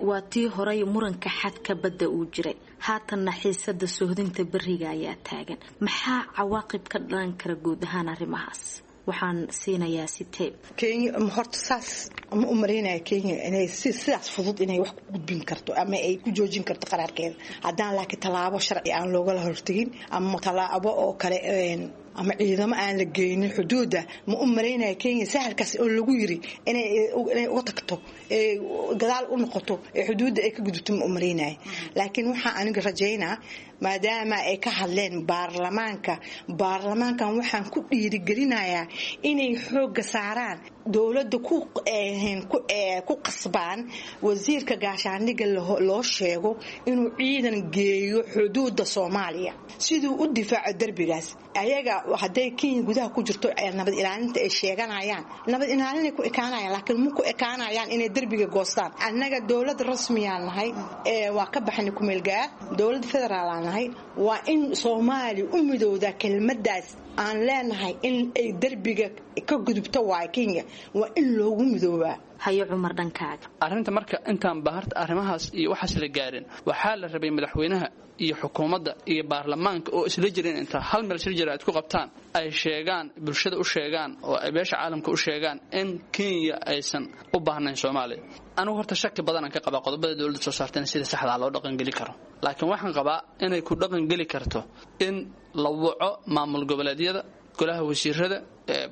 Waa tii horay muranka xadka badda uu jiray, haatanna xiisada soohdinta beriga ayaa taagan. Maxaa cawaaqib ka dhalan kara guud ahaan arrimahaas? Waxaan siinayaa Sitee. Kenya horta saas ma u maraynaya Kenya inay si sidaas fudud inay wax ku gudbin karto ama ay ku joojin karto qaraarkeeda haddaan laakiin tallaabo sharci aan loogala hortegin ama tallaabo oo kale ama ciidamo aan la geynin xuduudda. Ma u malaynaya Kenya sahalkaas oo lagu yiri inay uga tagto, ee gadaal u noqoto, ee xuduudda ay ka gudubto, ma u malaynaya. Laakiin waxaa aniga rajaynaa maadaama ay ka hadleen baarlamaanka, baarlamaankan waxaan ku dhiirigelinayaa inay xoogga saaraan dowladda, ku qasbaan wasiirka gaashaandhigga loo sheego inuu ciidan geeyo xuduudda Soomaaliya siduu u difaaco derbigaas. Ayaga hadday Kenya gudaha ku jirto nabad ilaalinta ay sheeganayaan, nabad ilaalinay ku ekaanayaan, laakiin ma ku ekaanayaan inay derbiga goostaan. Annaga dowlad rasmiyaan nahay, waa ka baxnay kumeelgaar, dowlad federaalaan nahay. Waa in Soomaaliya u midowdaa kelmadaas aan leenahay in ay derbiga ka gudubto waay Kenya, waa in loogu midoobaa. Hayo Cumar, dhankaaga. Arrinta marka intaan baharta arrimahaas iyo waxaas la gaarin, waxaa la rabay madaxweynaha iyo xukuumadda iyo baarlamaanka oo isla jireen inta hal meel isla jira aad ku qabtaan, ay sheegaan, bulshada u sheegaan oo ay beesha caalamka u sheegaan in Kenya aysan u baahnayn Soomaaliya. Anigu horta shaki badan aan ka qabaa qodobada dowladda soo saartayna sida saxdaa loo dhaqangeli karo, laakiin waxaan qabaa inay ku dhaqangeli karto in la waco maamul goboleedyada, golaha wasiirada,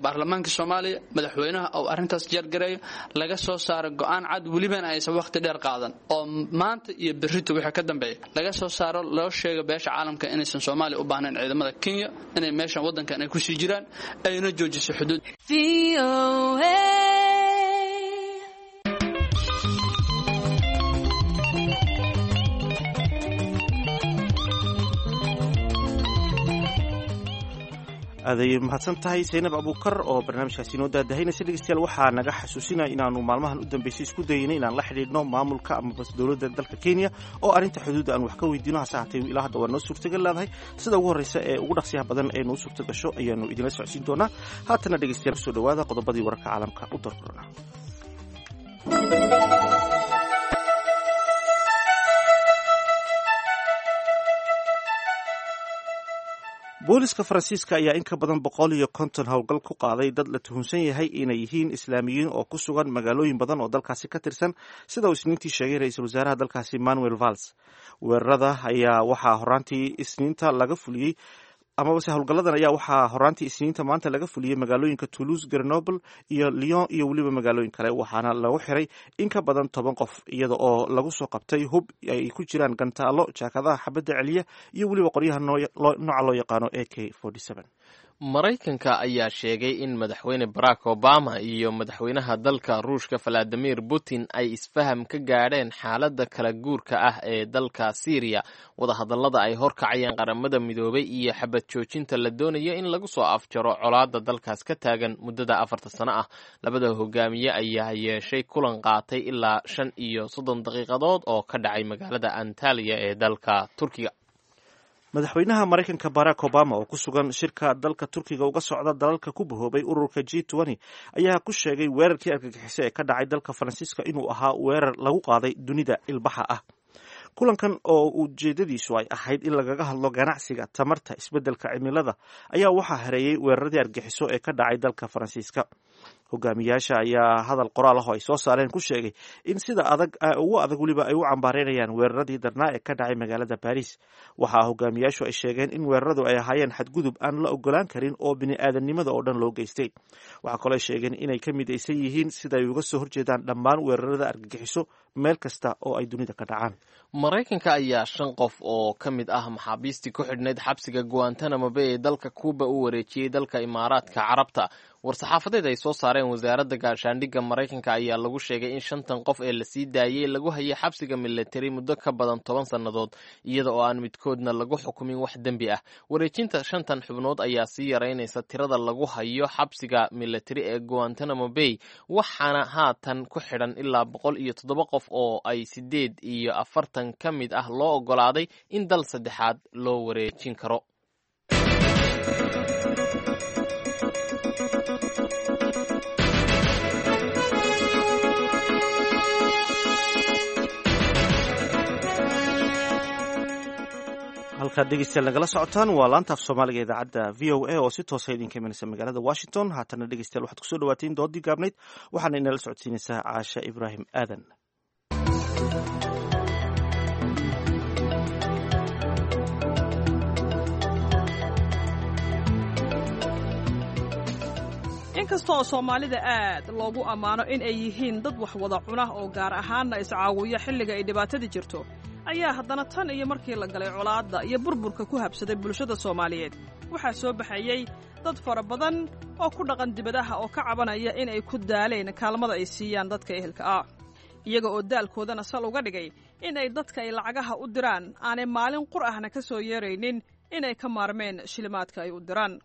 baarlamaanka Soomaaliya, madaxweynaha oo arrintaas jeergareeyo, laga soo saaro go-aan cad, welibana aysan waqti dheer qaadan oo maanta iyo berrito wixii ka dambeeya laga soo saaro, loo sheego beesha caalamka inaysan Soomaaliya u baahnayn ciidamada Kenya, inay meeshan waddankan ay kusii jiraan, ayna joojiso xuduud. Aaday mahadsan tahay Saynab Abuukar oo barnaamijkaasi inoo daadahaynaysa. Dhegeystayaal, waxaa naga xasuusinaya inaanu maalmahan u dambeysay isku dayeynay inaan la xidhiidhno maamulka amaba dowladda dalka Kenya oo arrinta xuduudda aan wax ka weydiino, hase haatee ilaa hadda waa noo suurtagal leedahay. Sida ugu horreysa ee ugu dhaqsiyaha badan ee noo suurta gasho ayaanu idinla socodsiin doonaa. Haatana dhegeystayaal, kusoo dhawaada qodobadii wararka caalamka u doorkorona. Booliska Faransiiska ayaa in ka badan 150 howlgal ku qaaday dad la tuhunsan yahay inay yihiin Islaamiyiin oo ku sugan magaalooyin badan oo dalkaasi ka tirsan, sida uu Isniintii sheegay ra-iisul wasaaraha dalkaasi Manuel Valls. Weerarada ayaa waxaa horaantii Isniinta laga fuliyey, amabase howlgalladan ayaa waxaa horaantii Isniinta maanta laga fuliyey magaalooyinka Toulouse, Grenoble iyo Lyon iyo weliba magaalooyin kale, waxaana lagu xiray in ka badan 10 qof, iyada oo lagu soo qabtay hub ay ku jiraan gantaalo, jaakadaha xabadda celiya iyo weliba qoryaha nooca loo yaqaano AK. Maraykanka ayaa sheegay in Madaxweyne Barack Obama iyo madaxweynaha dalka Ruushka Valadimir Putin ay isfaham ka gaadheen xaaladda kala guurka ah ee dalka Siiriya, wadahadallada ay horkacayeen Qaramada Midoobay iyo xabad joojinta la doonayo in lagu soo afjaro colaadda dalkaas ka taagan muddada 4ta sano ah. Labada hogaamiye ayaa yeeshay kulan qaatay ilaa 35 daqiiqadood oo ka dhacay magaalada Antaliya ee dalka Turkiga. Madaxweynaha Maraykanka Barack Obama oo ku sugan shirka dalka Turkiga uga socda dalalka ku bahoobay ururka G ayaa ku sheegay weerarkii argagixiso ee ka dhacay dalka Faransiiska inuu ahaa weerar lagu qaaday dunida ilbaxa ah. Kulankan oo ujeedadiisu ay ahayd in lagaga hadlo ganacsiga, tamarta, isbeddelka cimilada ayaa waxaa hareeyey weeraradii argagixiso ee ka dhacay dalka Faransiiska. Hogaamiyaasha ayaa hadal qoraal ah oo ay soo saareen ku sheegay in sida adag ugu adag weliba ay u cambaareynayaan weeraradii darnaa ee ka dhacay magaalada Baris. Waxaa hogaamiyaashu ay sheegeen in weeraradu ay ahaayeen xadgudub aan la ogolaan karin oo bini-aadamnimada oo dhan loo geystay. Waxaa kaloo ay sheegeen inay ka midaysan yihiin sida ay uga soo horjeedaan dhammaan weerarada argagixiso meel kasta oo ay dunida ka dhacaan. Maraykanka ayaa shan qof oo ka mid ah maxaabiistii ku xidhnayd xabsiga Guantanamo Bay ee dalka Kuuba u wareejiyey dalka Imaaraadka Carabta. War-saxaafadeed ay soo saareen wasaaradda gaashaandhigga Maraykanka ayaa lagu sheegay in shantan qof ee lasii daayey lagu hayay xabsiga militari muddo ka badan 10 sannadood, iyada oo aan midkoodna lagu xukumin wax dembi ah. Wareejinta shantan xubnood ayaa sii yaraynaysa tirada lagu hayo xabsiga militari ee Guantanamo Bay, waxaana haatan ku xidhan ilaa 107 qof oo ay 48 ka mid ah loo oggolaaday in dal saddexaad loo wareejin karo. Halkaad dhegeystayaal nagala socotaan waa laanta af Soomaaliga idaacadda VOA oo si toosa idinka imanaysa magaalada Washington. Haatana dhegeystayaal, waxaad kusoo dhawaateen doodii gaabnayd, waxaana inala socodsiinaysaa Caasha Ibraahim Aadan. Inkasta oo Soomaalida aad loogu ammaano in ay yihiin dad wax wada cuna oo gaar ahaanna iscaawiya xilliga ay dhibaatada jirto, ayaa haddana tan iyo markii la galay colaadda iyo burburka ku habsaday bulshada Soomaaliyeed, waxaa soo baxayey dad fara badan oo ku dhaqan dibadaha oo ka cabanaya in ay ku daaleen kaalmada ay siiyaan dadka ehelka ah, iyaga oo daalkoodana sal uga dhigay in ay dadka ay lacagaha u diraan aanay maalin qur ahna ka soo yeeraynin inay ka maarmeen shilimaadka ay u diraan.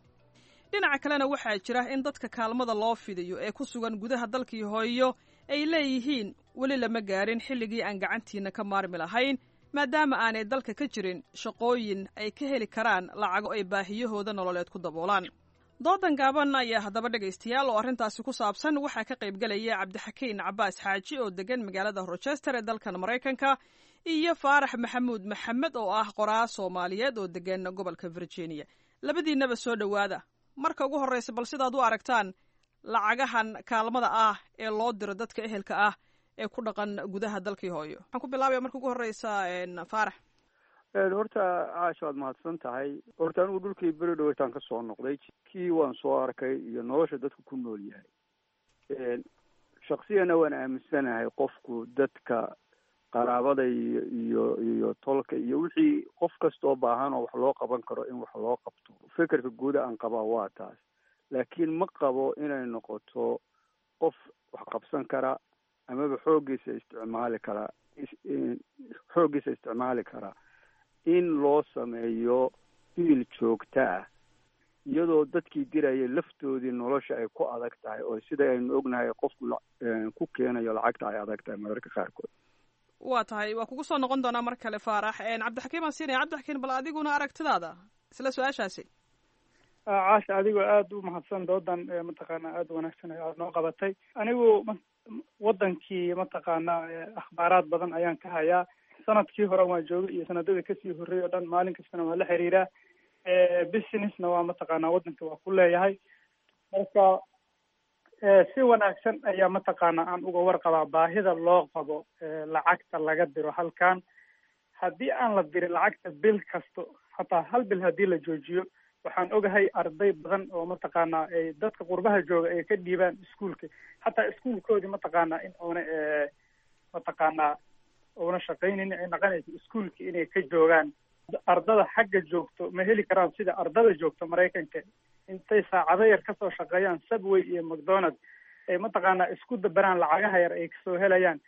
Dhinaca kalena waxaa jira in dadka kaalmada loo fidiyo ee ku sugan gudaha dalkii hooyo ay leeyihiin weli lama gaarin xilligii aan gacantiinna ka maarmi lahayn, maadaama aanay dalka ka jirin shaqooyin ay ka heli karaan lacago ay baahiyahooda nololeed ku daboolaan. Doodan gaaban ayaa haddaba dhegaystayaal oo arrintaasi ku saabsan waxaa ka qaybgelaya Cabdixakiin Cabaas Xaaji oo degan magaalada Rochester ee dalkan Maraykanka iyo Faarax Maxamuud Maxamed oo ah qoraa Soomaaliyeed oo degan gobolka Virginia. Labadiinnaba soo dhowaada. Marka ugu horreysa, bal sidaad u aragtaan lacagahan kaalmada ah ee loo diro dadka ehelka ah ee ku dhaqan gudaha dalkii hooyo. Waxaan ku bilaabaya marka ugu horreysa Faarax. Horta Caasha, waad mahadsan tahay. Horta anigu dhulkii beri dhaweytaan ka soo noqday, kii waan soo arkay iyo nolosha dadku ku nool yahay. Shaksiyana waan aaminsanahay qofku dadka qaraabada iyo iyo iyo tolka iyo wixii qof kastoo baahan oo wax loo qaban karo in wax loo qabto. Fikirka guuda aan qabaa waa taas, laakiin ma qabo inay noqoto qof wax qabsan kara amaba xooggiisa isticmaali kara, xooggiisa isticmaali kara in loo sameeyo biil joogta ah. Iyadoo dadkii dirayay laftoodii nolosha ay ku adag tahay, oo sida aynu ognahay qofku ku keenayo lacagta ay adag tahay mararka qaarkood. Waa tahay, waa kugu soo noqon doonaa mar kale, Faarax. Cabdixakiim aan siinaya. Cabdixakiim, bal adiguna aragtidaada isla su-aashaasi. Caasha, adigoo aada u mahadsan, doodan mataqaana aada u wanaagsan aad noo qabatay. Anigu wadankii mataqaana akhbaaraad badan ayaan ka hayaa. Sanadkii hore waan joogay iyo sanadada kasii horreeyay oo dhan, maalin kastana waan la xiriiraa, businessna waa mataqaana wadanka waa ku leeyahay. Marka si wanaagsan ayaa mataqaana aan uga warqabaa baahida loo qabo lacagta laga diro halkan. Haddii aan la dirin lacagta bil kasto, xataa hal bil haddii la joojiyo, waxaan ogahay arday badan oo mataqaana ay dadka qurbaha jooga ay ka dhiibaan iskuulka, xataa iskuulkoodii mataqaana in oona mataqaana una shaqaynin ay naqanayso iskuulka inay ka joogaan. Ardada xagga joogto ma heli karaan sida ardada joogto Maraykanka, intay saacado yar kasoo shaqeeyaan Subway iyo McDonald ay mataqaana isku dabaraan lacagaha yar ay kasoo helayaan.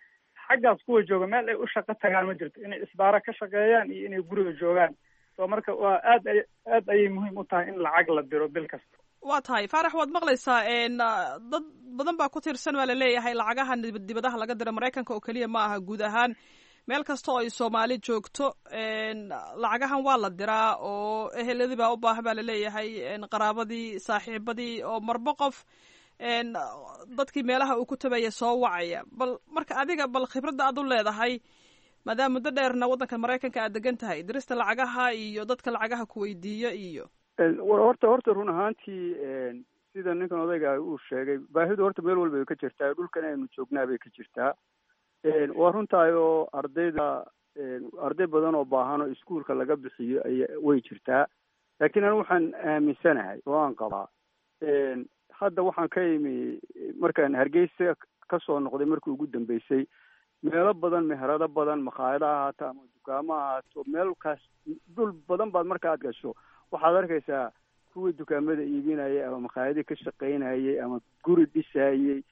Xaggaas kuwa jooga meel ay u shaqo tagaan ma jirto, inay isbaaro ka shaqeeyaan iyo inay guriga joogaan. So marka waa aad ay aad ayay muhiim u tahay in lacag la diro bil kasta. Waa tahay, Faarax, waad maqlaysaa. Dad badan baa ku tiirsan baa laleeyahay lacagaha dibadaha laga diro. Maraykanka oo keliya ma aha, guud ahaan meel kasta oo ay Soomaali joogto lacagahan waa la diraa, oo eheladii baa u baahan baa laleeyahay, qaraabadii, saaxiibadii, oo marba qof dadkii meelaha uu ku tabaya soo wacaya. Bal marka adiga, bal khibradda aad u leedahay, maadaama muddo dheerna waddanka Maraykanka aad degan tahay, dirista lacagaha iyo dadka lacagaha ku weydiiyo iyo Horta run ahaantii, sida ninkan odayga uu sheegay, baahidu horta meel walba ay ka jirtaa, dhulkan aynu joognaa bay ka jirtaa. Waa runtahay oo ardayda, arday badan oo baahan oo iskuulka laga bixiyo ay way jirtaa, laakiin anu waxaan aaminsanahay oo aan qabaa, hadda waxaan ka imi markaan Hargeysa kasoo noqday markii ugu dambeysay, meelo badan, meherado badan, makhaayado ha ahaato ama dukaamo ha ahaato, meelkaas dhul badan baad marka aad gasho waxaad arkaysaa kuwii dukaamada iibinayay ama makhaayadii ka shaqaynayay ama guri dhisayey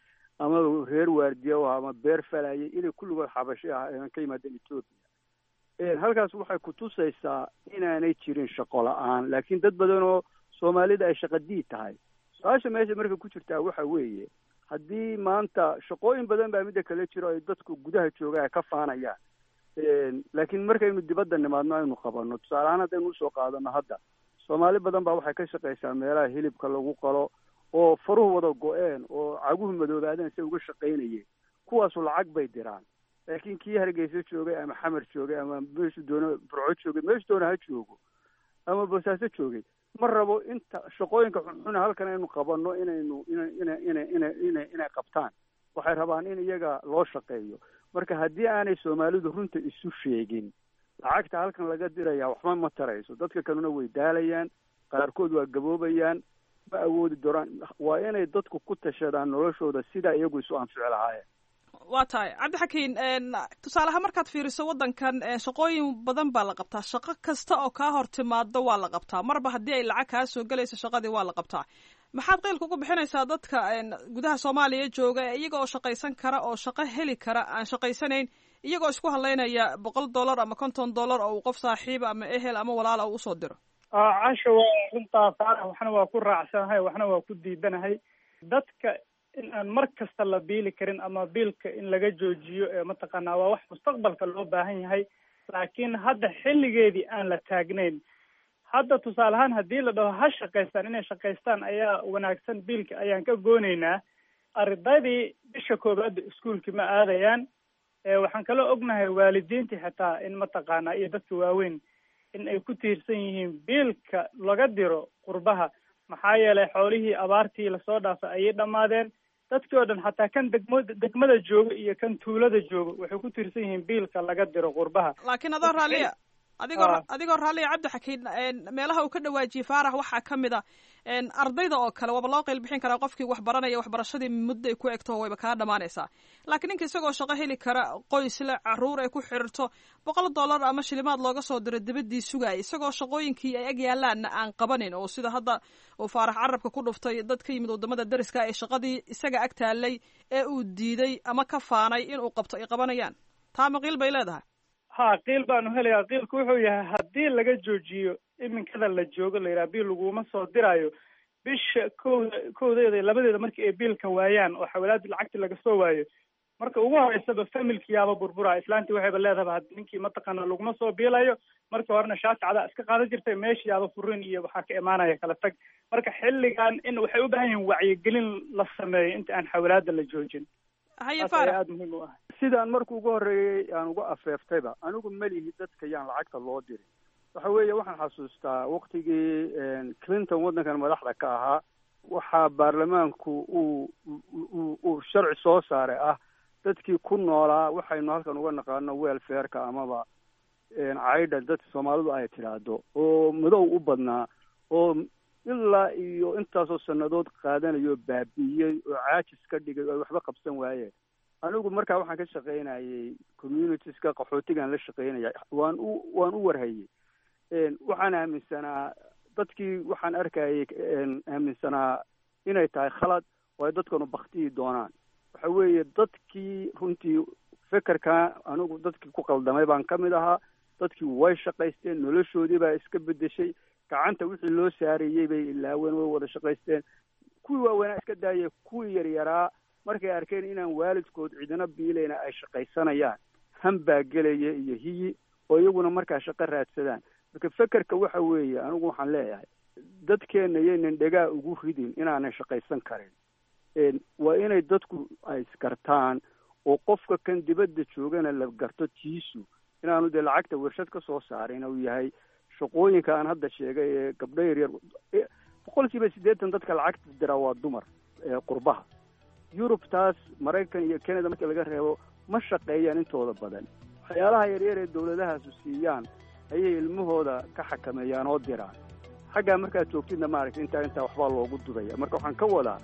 ama reer waardiya u ahaa ama beer falayay inay kulligood xabashi ah ka yimaadeen Etoobiya. Halkaas waxay kutusaysaa inaanay jirin shaqo la-aan, laakiin dad badan oo Soomaalida ay shaqa diid tahay. Su-aasha meesha marka ku jirtaa waxa weeye, haddii maanta shaqooyin badan baa midda kale jiro ay dadku gudaha jooga ay ka faanayaan, laakiin markaynu dibadda nimaadno aynu qabanno, tusaale ahaan haddaynu usoo qaadano, hadda Soomaali badan baa waxay ka shaqaysaa meelaha hilibka lagu qalo oo faruhu wada go-een oo caguhu madoobaadeen say uga shaqaynayeen. Kuwaasu lacag bay diraan, laakiin kii Hargeysa joogay ama Xamar joogay ama meeshu doono Burco joogay, meeshu doona ha joogo ama Boosaaso joogay, ma rabo inta shaqooyinka xunxuna halkan aynu qabanno inaynu ina ina ina ina ina inay qabtaan. Waxay rabaan in iyaga loo shaqeeyo. Marka haddii aanay Soomaalidu runta isu sheegin, lacagta halkan laga diraya waxba ma tarayso. Dadka kalena way daalayaan, qaarkood waa gaboobayaan, ma awoodi doonaan. Waa inay dadku ku tashadaan noloshooda sidaa iyagu isu anfici lahaayeen. Waa tahay, Cabdixakiin. Tusaaleahaan markaad fiiriso waddankan, shaqooyin badan baa la qabtaa. Shaqo kasta oo kaa hor timaado waa la qabtaa, marba haddii ay lacag kaa soo gelayso shaqadii waa la qabtaa. Maxaad qeylka ugu bixinaysaa dadka gudaha Soomaaliya jooga ee iyaga oo shaqaysan kara oo shaqo heli kara aan shaqaysanayn, iyagoo isku hadlaynaya $100 ama $50 oo uu qof saaxiiba ama ehel ama walaala uu usoo diro? Casha, waa runtaa Faarax, waxna waa ku raacsanahay, waxna waa ku diidanahay. Dadka in aan mar kasta la biili karin ama biilka in laga joojiyo ee mataqaanaa waa wax mustaqbalka loo baahan yahay, laakiin hadda xilligeedii aan la taagnayn. Hadda tusaale ahaan haddii la dhaho ha shaqaystaan, inay shaqaystaan ayaa wanaagsan, biilka ayaan ka goonaynaa, ardaydii bisha koowaadda iskuulki ma aadayaan. Waxaan kaloo ognahay waalidiintii xitaa in mataqaanaa iyo dadka waaweyn in ay ku tiirsan yihiin biilka laga diro qurbaha, maxaa yeelay xoolihii abaartii lasoo dhaafay ayay dhammaadeen. Dadkii oo dhan, xataa kan degmada jooga iyo kan tuulada jooga, waxay ku tiirsan yihiin biilka laga diro qurbaha. Laakiin adoo raalliya, adigoo raalliya, Cabdixakiin, meelaha uu ka dhawaajiyey Faarax waxaa ka mid a ardayda oo kale waaba loo qeyl bixin karaa. Qofkii wax baranaya waxbarashadii muddo ay ku egto wayba kaa dhamaanaysaa, laakiin ninka isagoo shaqo heli kara, qoys le, caruur ay ku xiriirto, $100 ama shilimaad looga soo diro dibaddii sugaaya, isagoo shaqooyinkii ay ag yaalaanna aan qabanin, oo sida hadda uu Faarax carabka ku dhuftay, dad ka yimid waddamada dariska ee shaqadii isaga ag taalay ee uu diiday ama ka faanay inuu qabto ay qabanayaan, taa ma qiil bay leedahay? Ha, qiil baanu helayaa. Qiilku wuxuu yahay haddii laga joojiyo iminkada la joogo la yidhaha biil laguma soo diraayo, bisha kowda, kowdeeda iyo labadeeda markii ay biilka waayaan oo xawalaadii lacagtii laga soo waayo, marka ugu horeysaba familkiyaaba burburaya. Islaantii waxayba leedahaba had ninkii mataqaana laguma soo biilayo, markii horena shaati cadaa iska qaadan jirtay, meeshiyaaba furin iyo waxaa ka imaanaya kala tag. Marka xilligan in waxay u baahan yihiin wacyigelin la sameeyo inta aan xawalaada la joojin. Haye. Taas ayaa Faarax. aada muhiim u ah. Sidaan markuu ugu horreeyey aan uga afeeftayba, anigu melihi dadka yaan lacagta loo dirin. Waxa weeye, waxaan xasuustaa waktigii Clinton waddankan madaxda ka ahaa, waxaa baarlamaanku uu sharci soo saaray ah dadkii ku noolaa waxaynu halkan uga naqaano welfareka amaba caydha dadka Soomaalidu ay tidhaahdo, oo madow u badnaa oo ilaa iyo intaasoo sannadood qaadanayo, baabi'iyey oo caajis ka dhigay oo ay waxba qabsan waayeen. Anigu markaa waxaan ka shaqaynayay communitieska qaxootigaan la shaqaynaya, waan u warhayey. Waxaan aaminsanaa dadkii waxaan arkayay aaminsanaa inay tahay khalad oo ay dadkanu baktiyi doonaan. Waxa weeye, dadkii runtii fekerka anigu dadkii ku qaldamay baan ka mid ahaa. Dadkii way shaqaysteen, noloshoodii baa iska bedeshay, gacanta wixii loo saarayey bay ilaaween, way wada shaqaysteen. Kuwii waaweynaa iska daayay, kuwii yaryaraa markay arkeen inaan waalidkood cidina biilayna ay shaqaysanayaan, han baa gelaya iyo hiyi oo iyaguna markaa shaqo raadsadaan. Marka fekerka waxa weeye, anigu waxaan leeyahay dadkeenna yaynan dhegaa ugu ridin inaanay shaqaysan karin. Waa inay dadku ay isgartaan oo qofka kan dibadda joogana la garto tiisu inaanu dee lacagta warshad ka soo saarin, uu yahay shaqooyinka aan hadda sheegay ee gabdho yaryar. 80% dadka lacagta diraa waa dumar ee qurbaha Yurub, taas Maraykan iyo Canada marka laga reebo, ma shaqeeyaan intooda badan. Waxyaalaha yaryar ee dowladahaasu siiyaan ayay ilmahooda ka xakameeyaan oo diraan. Xaggaa markaad joogtidna maaragtay intaa waxbaa loogu dudaya. Marka waxaan ka wadaa,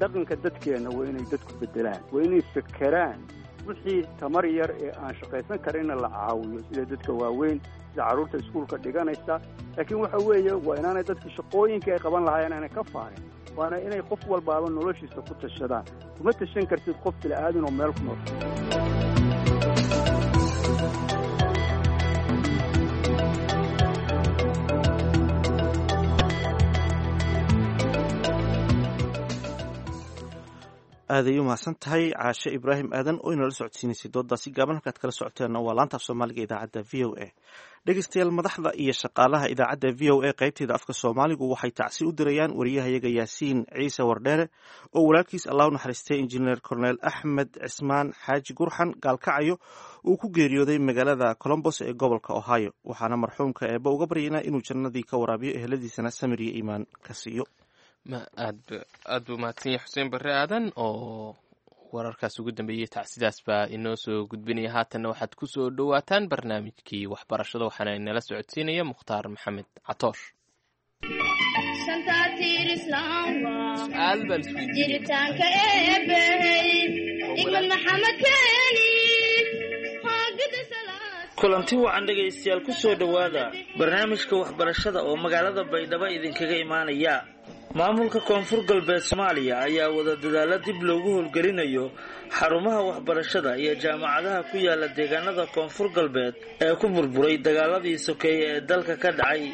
dhaqanka dadkeenna waa inay dadku bedelaan, waa inay fekeraan wixii tamar yar ee aan shaqaysan karinna la caawiyo, sida dadka waaweyn, sida carruurta iskuulka dhiganaysa. Laakiin waxa weeye, waa inaanay dadki shaqooyinkii ay qaban lahaayeen aanay ka faarin, waana inay qof walbaaba noloshiisa ku tashadaan. Kuma tashan kartid qof bila'aadan oo meel ku nool. Aaday u mahadsan tahay Caashe Ibraahim Aadan oo inala socodsiinaysay doodaasi gaaban. Halkaad kala socoteenna waa laanta af Soomaaliga idaacadda VOA. Dhegeystayaal, madaxda iyo shaqaalaha idaacadda VOA qaybteeda afka Soomaaligu waxay tacsi u dirayaan wariyahayaga Yaasiin Ciise Wardheere oo walaalkiis, Allah u naxariistay, Injineer Corneel Axmed Cismaan Xaaji Gurxan Gaalkacayo uu ku geeriyooday magaalada Colombos ee gobolka Ohio. Waxaana marxuumka Eebbe uga baryaynaa inuu jannadii ka waraabiyo, eheladiisana samir iyo iimaan ka siiyo. Ma aad aad buu mahadsan yahay Xuseen Barre Aadan oo wararkaas ugu dambeeyey tacsidaas baa inoo soo gudbinaya. Haatanna waxaad ku soo dhowaataan barnaamijkii waxbarashada, waxaana inala socodsiinaya Mukhtaar Maxamed Catoosh. Su'aal baan isweydiinaya. Jiritaanka Eebbey igmad Maxamed keeni hoogada. Kulanti wacan dhegaystayaal, ku soo dhowaada barnaamijka waxbarashada oo magaalada Baydhabo idinkaga imaanaya. Maamulka Koonfur Galbeed Soomaaliya ayaa wada dadaalo dib loogu howlgelinayo xarumaha waxbarashada iyo jaamacadaha ku yaala deegaanada Koonfur Galbeed ee ku burburay dagaaladii sokeeye ee dalka ka dhacay.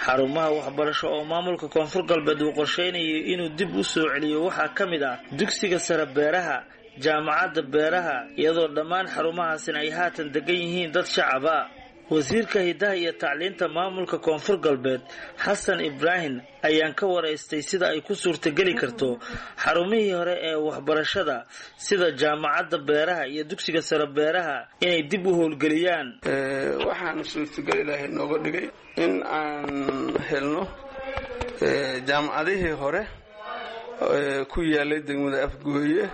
Xarumaha waxbarasho oo maamulka Koonfur Galbeed uu qorsheynayo inuu dib u soo celiyo waxaa ka mid ah dugsiga sare beeraha, jaamacadda beeraha, iyadoo dhammaan xarumahaasina ay haatan degan yihiin dad shacaba. Wasiirka hidaha iyo tacliinta maamulka Koonfur Galbeed, Xasan Ibraahim, ayaan ka waraystay sida ay ku suurtageli karto xarumihii hore ee waxbarashada sida jaamacadda beeraha iyo dugsiga sare beeraha inay dib u howlgeliyaan. Waxaana suurtagal Ilaahay nooga dhigay in aan helno jaamacadihii hore ku yaalay degmada Afgooye,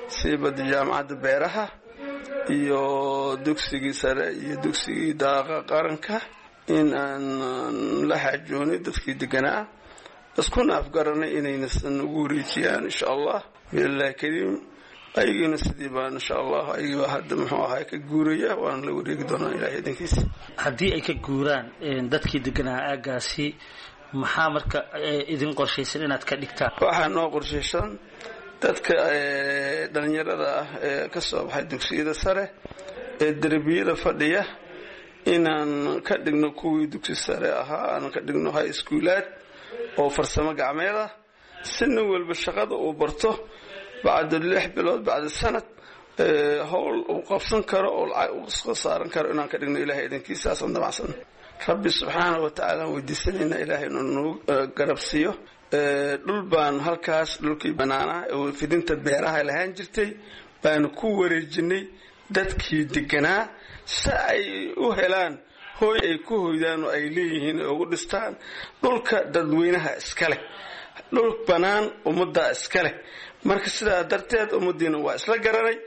siibada jaamacadda beeraha iyo dugsigii sare iyo dugsigii daaqa qaranka, in aan la xaajoonay dadkii deganaa, iskuna afgaranay inaynasan ugu wareejiyaan insha Allah biillahi kariim. Ayagiina sidii baan insha Allah, ayagii baa hadda muxuu ahay ka guuraya, waana la wareegi doonaa Ilahay idinkiisa. Haddii ay ka guuraan dadkii deganaa aaggaasi, maxaa marka idin qorshaysan inaad ka dhigtaan? Waxaa noo qorshaysan dadka dhalinyarada ah ee ka soo baxay dugsiyada sare ee derbiyada fadhiya Inaan ka dhigno kuwii dugsi sare ahaa, aan ka dhigno high schoolaad oo farsamo gacmeed ah, si nin walba shaqada uu barto bacda 6 bilood, bacda sanad, howl uu qabsan karo oo lacag uu soo saaran karo inaan ka dhigno. Ilahay idankiisaasaan damacsan. Rabbi subxaana wa tacaala aan weydiisanaynaa Ilaahay inuu nagu garabsiiyo. Dhul baan halkaas, dhulkii banaanaa oo fidinta beeraha lahaan jirtay, baanu ku wareejinay dadkii deganaa si ay u helaan hooy ay ku hoydaan oo ay leeyihiin ay ugu dhistaan. Dhulka dadweynaha iska leh, dhul bannaan ummaddaa iska leh. Marka sidaa darteed ummaddiina waa isla garanay.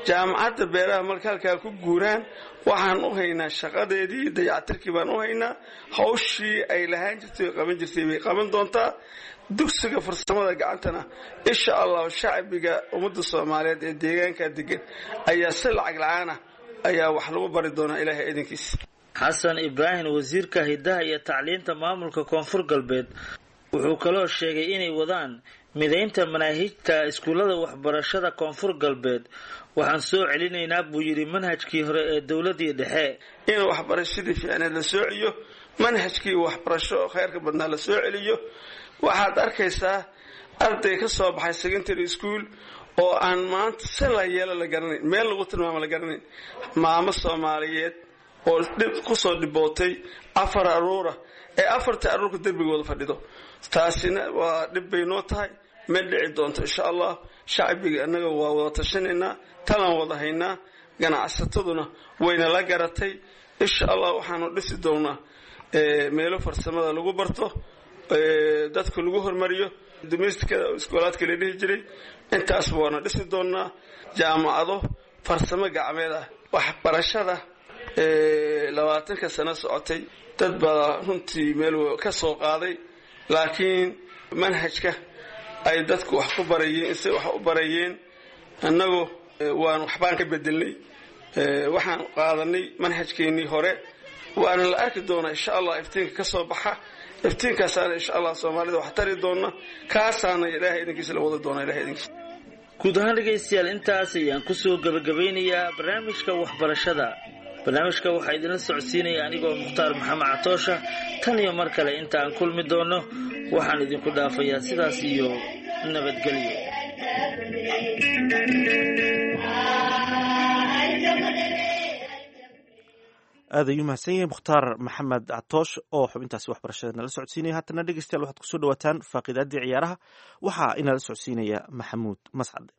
Jaamacadda beeraha marka halkaa ku guuraan, waxaan u haynaa shaqadeedii, dayactirkii baan u haynaa. Hawshii ay lahaan jirtay oo qaban jirtay bay qaban doontaa. Dugsiga farsamada gacantana, insha Allahu, shacbiga ummadda Soomaaliyeed ee deegaanka degan ayaa si lacag la-aan ah ayaa wax lagu bari doonaa, Ilaahay idinkiis. Xasan Ibraahim, wasiirka hiddaha iyo tacliinta maamulka Koonfur Galbeed, wuxuu kaloo sheegay inay wadaan midaynta manaahijta iskuullada waxbarashada Koonfur Galbeed. Waxaan soo celinaynaa, buu yidhi, manhajkii hore ee dowladii dhexe. In waxbarashadii fiicneed la soo celiyo, manhajkii waxbarasho oo khayrka badnaa la soo celiyo. Waxaad arkaysaa arday ka soo baxay secondary school oo aan maanta si la yeelo la garanayn, meel lagu tilmaamo la garanayn. Maamo Soomaaliyeed oo dhib kusoo dhibootay afar aruura ee afarta aruurka dembigooda fadhido, taasina waa dhib bay noo tahay. Ma dhici doonto, insha Allah. Shacbiga annaga waa wada tashanaynaa, talaan wada haynaa, ganacsataduna wayna la garatay. Insha Allah waxaanu dhisi doonaa meelo farsamada lagu barto, dadka lagu hormariyo, domesticada iskoolaadka la dhihi jiray. Intaasba waana dhisi doonaa, jaamacado farsamo gacmeed ah. Waxbarashada 20-ka sano socotay, dad baa runtii meel ka soo qaaday, laakiin manhajka ay dadku wax ku barayeen, say wax u barayeen, annagu waan waxbaan ka bedelnay. Waxaan qaadanay manhajkeennii hore, waana la arki doonaa, insha Allah, iftiinka ka soo baxa. Iftiinkaasaana, insha Allah, Soomaalida wax tari doona. Kaasaana Ilaahay idinkiisa la wada doona, Ilahay idinkiisa. Guud ahaan, dhegaystayaal, intaas ayaan kusoo gebagabeynayaa barnaamijka waxbarashada. Barnaamijka waxaa idinla socodsiinaya anigoo Mukhtaar Maxamed Catoosha. Tan iyo mar kale inta aan kulmi doonno, waxaan idinku dhaafayaa sidaas iyo nabadgelyo. Aad ayuu mahadsan yahay Mukhtaar Maxamed Catoosh oo xubintaasi waxbarashada nala socodsiinaya. Haatana, dhegeystayaal, waxaad kusoo dhawaataan faaqiidaaddii ciyaaraha. Waxaa inala socodsiinaya Maxamuud Mascade.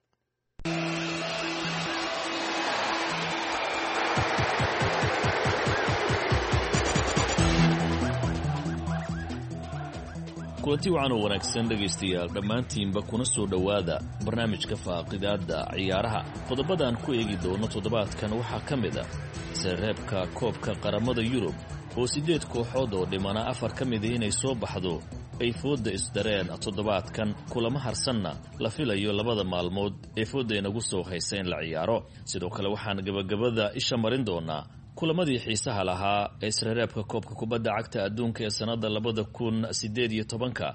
Kulanti wacan oo wanaagsan, dhegaystayaal, dhammaantiinba kuna soo dhowaada barnaamijka faaqidaadda ciyaaraha. Qodobadaan ku eegi doono toddobaadkan waxaa ka mid ah sareebka koobka qaramada Yurub oo siddeed kooxood oo dhimana afar ka mida inay soo baxdo ay foodda isdareen toddobaadkan, kulamo harsanna la filayo labada maalmood ee foodda inagu soo haysa in la ciyaaro. Sidoo kale waxaan gebagabada isha marin doonaa kulamadii xiisaha lahaa ee isreereebka koobka kubadda cagta adduunka ee sannadda 2018-ka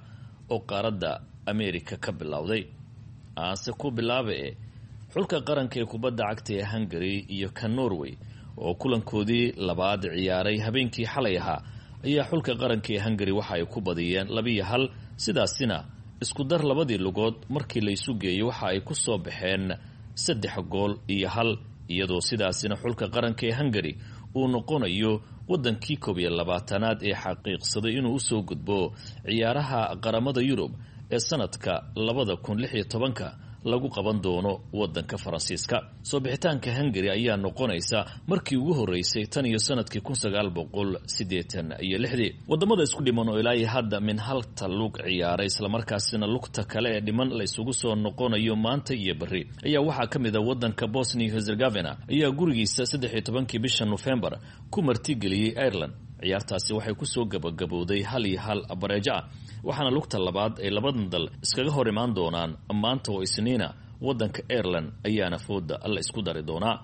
oo qaaradda Ameerika ka bilowday. Aanse ku bilaabe e xulka qaranka ee kubadda cagta ee Hungary iyo ka Norway oo kulankoodii labaad ciyaaray habeenkii xalay ahaa ayaa xulka qaranka ee Hungary waxa ay ku badiyeen 2-1. Sidaasina isku dar labadii lugood markii la isu geeyey waxa ay ku soo baxeen 3 gool iyo 1, iyadoo sidaasina xulka qaranka ee Hungary uu noqonayo waddankii 21aad ee xaqiiqsaday inuu usoo gudbo ciyaaraha qaramada Yurub ee sanadka 2016-ka lagu qaban doono wadanka Faransiiska. Soo bixitaanka Hungary ayaa noqonaysa markii ugu horeysay tan iyo sanadkii 1986-dii. Wadamada isku dhiman oo ilaa iyo hadda min halta lug ciyaaray, islamarkaasina lugta kale ee dhiman la isugu soo noqonayo maanta iyo berri, ayaa waxaa ka mid a wadanka Bosnia Herzegovina ayaa gurigiisa 13-kii bisha Nofembar ku martigeliyey Ireland. Ciyaartaasi waxay kusoo gabagabowday 1-1 bareejo ah, waxaana lugta labaad ay labadan dal iskaga hor imaan doonaan maanta oo Isniina. Wadanka Ireland ayaana fooda la isku dari doonaa.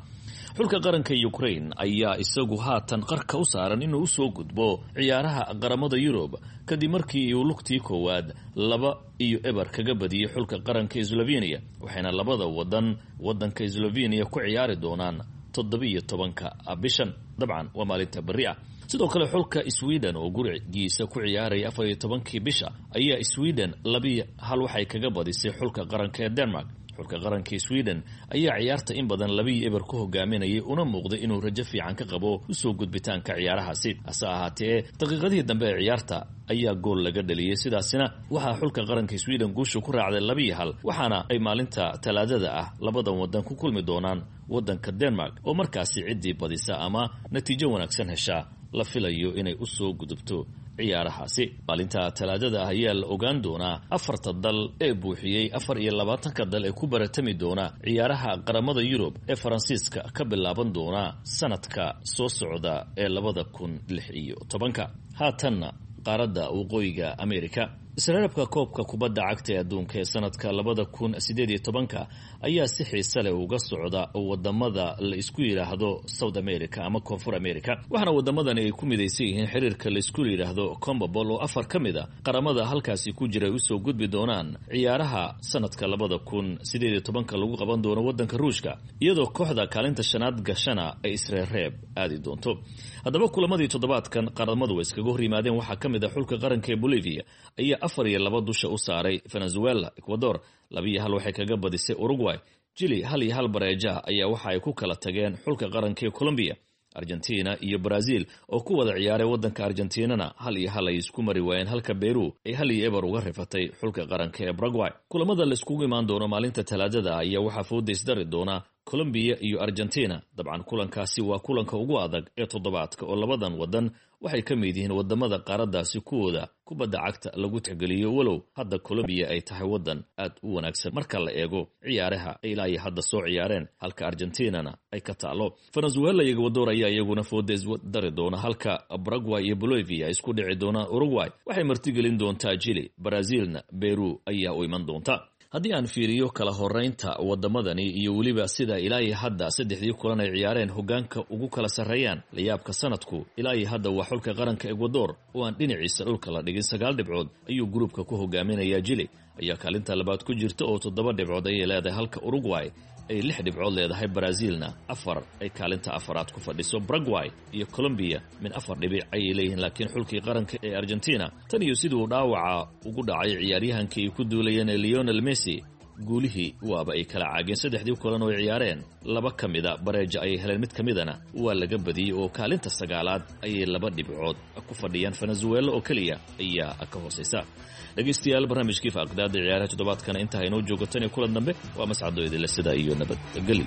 Xulka qaranka Ukraine ayaa isagu haatan qarka u saaran inuu usoo gudbo ciyaaraha qaramada Yurub, kadib markii uu lugtii koowaad 2-0 kaga badiyey xulka qaranka Slovenia, waxayna labada wadan wadanka Slovenia ku ciyaari doonaan 17-ka bishan, dabcan waa maalinta berri ah. Sidoo kale xulka Sweden oo gurigiisa ku ciyaaraya 14-kii bisha ayaa Sweden 2-1 waxay kaga badisay xulka qaranka ee Denmark. Xulka qaranka Sweden ayaa ciyaarta in badan 2-0 ku hogaaminayay, una muuqday inuu rajo fiican ka qabo usoo gudbitaanka ciyaarahaasi. Hase ahaatee daqiiqadihii dambe ee ciyaarta ayaa gool laga dhaliyey, sidaasina waxaa xulka qaranka Sweden guusha ku raacday 2-1, waxaana ay maalinta talaadada ah labadan wadan ku kulmi doonaan wadanka Denmark, oo markaasi ciddii badisa ama natiijo wanaagsan heshaa la filayo inay usoo gudubto ciyaarahaasi. Maalinta talaadada ah ayaa la ogaan doonaa afarta dal ee buuxiyey 24-ka dal ee ku baratami doona ciyaaraha qaramada Yurub ee Faransiiska ka bilaaban doona sanadka soo socda ee 2016-ka. Haatanna qaaradda waqooyiga America, isreerabka koobka kubadda cagta ee adduunka ee sanadka 2018-ka ayaa si xiise leh uga socda wadamada la isku yidhaahdo South America ama Koonfur America, waxaana wadamadani ay ku midaysan yihiin xiriirka la isku yidhaahdo Combabol, oo afar ka mid a qaramada halkaasi ku jira ay usoo gudbi doonaan ciyaaraha sanadka 2018-ka lagu qaban doono wadanka Ruushka, iyadoo kooxda kaalinta shanaad gashana ay isreerreeb aadi doonto. Haddaba kulamadii toddobaadkan qaramadu ay iskaga hor yimaadeen waxaa ka mid ah xulka qaranka ee Bolivia ayaa 4-2 dusha u saaray Venezuela. Ecuador 2-1 waxay kaga badisay Uruguay. Chile 1-1 bareeja ayaa waxa ay ku kala tageen xulka qaranka ee Colombia. Argentina iyo Brazil oo ku wada ciyaaray wadanka Argentinana 1-1 ay isku mari waayeen, halka Peru ay 1-0 uga rifatay xulka qaranka ee Paraguay. Kulamada la iskugu imaan doono maalinta talaadada ayaa waxaa fooda isdari doona Colombia iyo Argentina. Dabcan kulankaasi waa kulanka ugu adag ee toddobaadka, oo labadan wadan waxay ka mid yihiin wadamada qaaraddaasi kuwooda kubadda cagta lagu tixgeliyo, walow hadda Colombia ay tahay wadan aad u wanaagsan marka la eego ciyaaraha ay ilaa iyo hadda soo ciyaareen, halka Argentinana ay ka taalo. Venezuela iyo Ecuador ayaa iyaguna fooda isdari doona, halka Paraguay iyo Bolivia ay isku dhici doonaan. Uruguay waxay martigelin doontaa Chile, Brazilna Peru ayaa u iman doonta. Haddii aan fiiriyo kala horeynta wadamadani iyo weliba sida ilaa iyo hadda saddexdii kulan ay ciyaareen hogaanka ugu kala sarreeyaan, layaabka sanadku ilaa iyo hadda waa xulka qaranka Ecuador oo aan dhinaciisa dhulka la dhigin. 9 dhibcood ayuu gruubka ku hogaaminayaa. Chile ayaa kaalinta labaad ku jirta oo 7 dhibcood ayay leedahay, halka Uruguay ay 6 dhibcood leedahay, Brazilna 4 ay kaalinta afaraad ku fadhiso. Paraguay iyo Colombia min 4 dhibic ayay leeyihiin, laakiin xulkii qaranka ee Argentina tan iyo siduu dhaawaca ugu dhacay ciyaaryahankii ay ku duulayeen ee Lionel Messi, guulihii waaba ay kala caageen. Saddexdii kulan oo ay ciyaareen laba ka mida bareeja ayay heleen, mid ka midana waa laga badiyey oo kaalinta sagaalaad ayay 2 dhibcood ku fadhiyaan. Venezuela oo keliya ayaa ka hooseysa. Dhegeystayaal, barnaamijkii faaqdaada ciyaaraha toddobaadkana intaa inoo joogo. Tan iyo kulan dambe, waa mascado idinle sida iyo nabadgeli.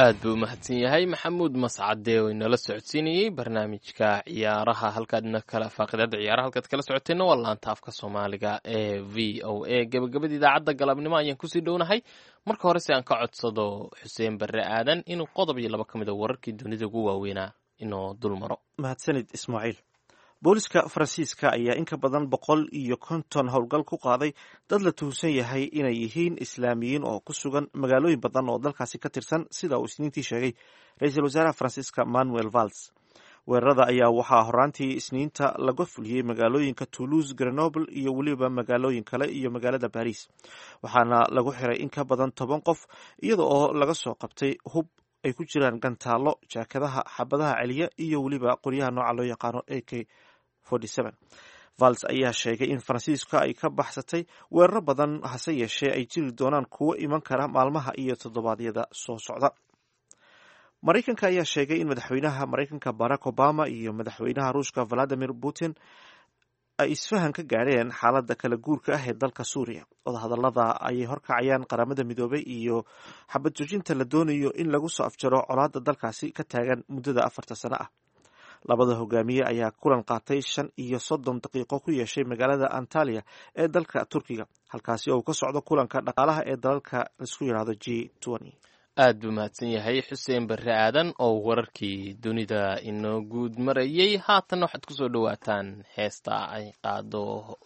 Aad buu umahadsan yahay Maxamuud Mascade oo inala socodsiinayey barnaamijka ciyaaraha. Halkaadna kala faaqidada ciyaaraha halkaad kala socoteenna waa laanta afka Soomaaliga ee VOA. Gabagabada idaacadda galabnimo ayaan kusii dhownahay. Marka hore si aan ka codsado Xuseen Barre Aadan inuu qodob iyo laba ka mid a wararkii dunida ugu waaweynaa inoo dul maro. Mahadsanid Ismaaciil. Booliska Faransiiska ayaa in ka badan 150 howlgal ku qaaday dad la tuhunsan yahay inay yihiin islaamiyiin oo ku sugan magaalooyin badan oo dalkaasi ka tirsan, sida uu isniintii sheegay ra-iisul wasaaraha Faransiiska Manuel Valls. Weerarada ayaa waxaa horaantii isniinta laga fuliyey magaalooyinka Toulouse, Grenoble iyo weliba magaalooyin kale iyo magaalada Baris, waxaana lagu xiray in ka badan 10 qof, iyada oo laga soo qabtay hub ay ku jiraan gantaallo, jaakadaha xabadaha celiya iyo weliba qoryaha nooca loo yaqaano AK. Vals ayaa sheegay in Faransiiska ay ka baxsatay weeraro badan, hase yeeshee ay jiri doonaan kuwo iman kara maalmaha iyo toddobaadyada soo socda. Maraykanka ayaa sheegay in madaxweynaha Maraykanka Barack Obama iyo madaxweynaha Ruushka Valadimir Putin ay isfahan ka gaadheen xaaladda kala guurka ah ee dalka Suuriya. Wadahadallada ayay horkacayaan Qaramada Midoobay iyo xabad joojinta la doonayo in lagu soo afjaro colaadda dalkaasi ka taagan muddada 4 sano ah. Labada hogaamiye ayaa kulan qaatay 35 daqiiqo ku yeeshay magaalada Antalya ee dalka Turkiga, halkaasi oo uu ka socdo kulanka dhaqaalaha ee dalalka laisku yidhaahdo G20. Aad buu mahadsan yahay Xuseen Barre Aadan oo wararkii dunida inoo guud marayey. Haatan waxaad kusoo dhowaataan heesta ay qaado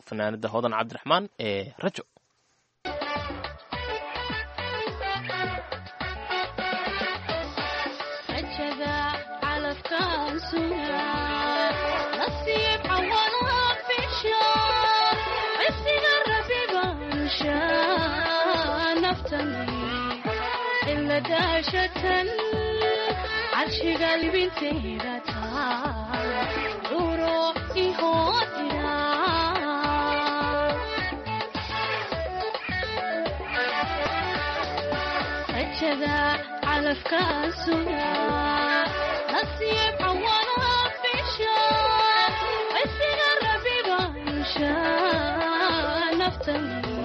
fanaanada Hodan Cabdiraxmaan ee Rajo. Rajada. calafkaan sugaa nasiib cawalaa fisha cisiga rabi baansha naftani ila daashatan carshiga libinteeda taa curo ihoodira. Rajada calafkaan sugaa nasiib cawalaa fisha cisiga rabi baansha naftani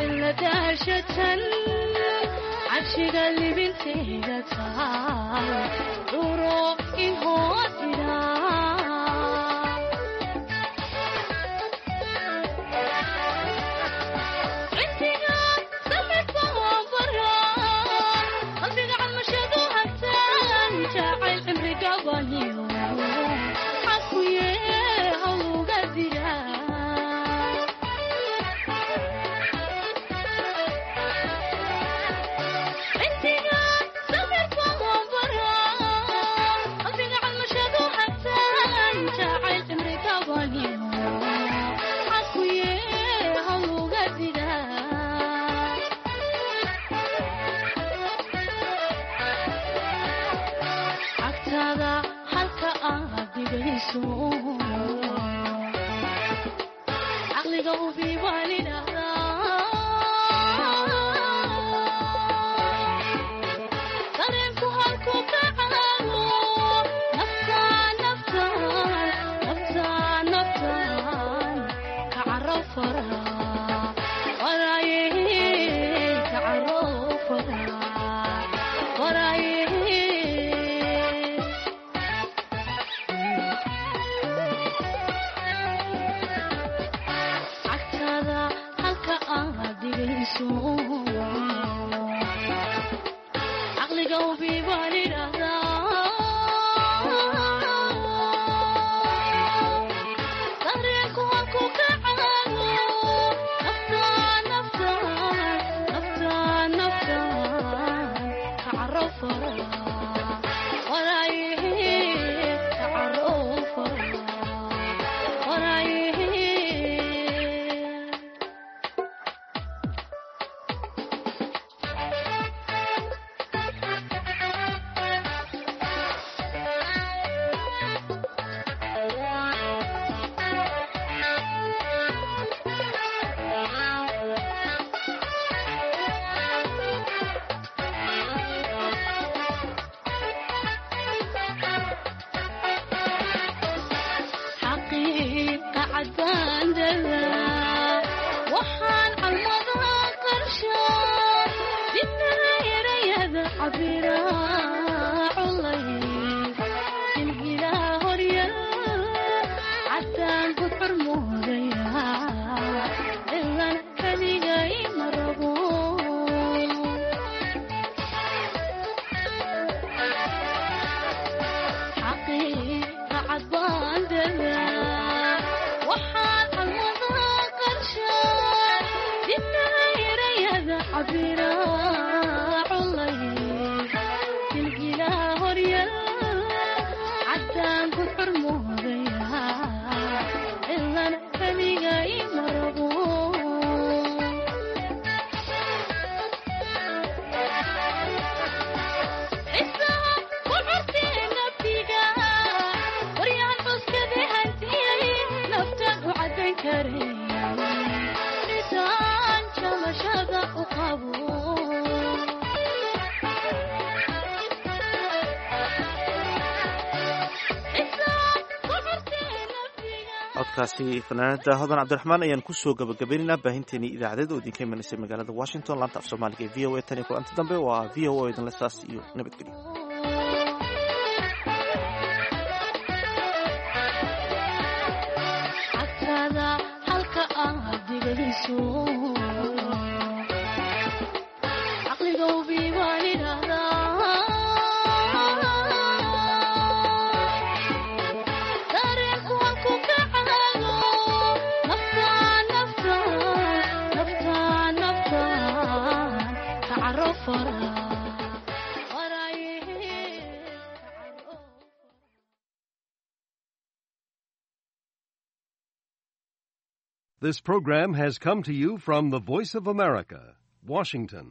ila daashatan carshiga libinteeda taa curo ihoodira. Intiga samirka bara qalbiga calmashadu hagtaan jacayl cimriga baniyo xakuye hawga dira. Intiga samirka bara qalbiga calmashadu hagtaan jacayl cimriga baniyo xakuye hawga dira. Cagtaada halka aad dhigayso caqliga hubi baan idhahdaa dareenku halku ka caago naftaan naftaan naftaan naftaan ka caro faraa waraaye ka caro faraa waraaye. Cagtaada halka aad dhigayso caqliga hubi baan idhahdaa dareenku halku ka caago naftaan naftaan naftaan naftaan ka caro faraa waraaye ka caro faraa waraaye. Xaqiiqa caddaan dhalaa waxaan calmada qarshaa dibnaha erayada cabira culay silgilaa horyal caddaan gudcur moodaya cilan kaligay ma rabo. Xaqiiqa caddaan dhalaa waxaan calmada qarshaa dibnaha erayada cabira culay silgilaa horyal caddaan gudcur moodaya cilan kaligay ma rabo. Xisaha ku curtee naftiga waryahan cuskade hantiyay naftaan u caddayn karay midaan jamashada u qabo. Codkaasi fanaanada Hodan Cabdiraxmaan ayaan kusoo gabagabaynaynaa baahinteenii idaacadeed oo idinka imanaysa magaalada Washington, laanta af Soomaaliga ee VOA. Tan iyo kulanta dambe, waa VOA idinle saas iyo nabadgelyo. Cagtaada halka aad dhigayso caqliga hubi baan idhahdaa dareenku halku ka caago naftaan naftaan naftaan naftaan ka caro faraa. This program has come to you from the Voice of America, Washington.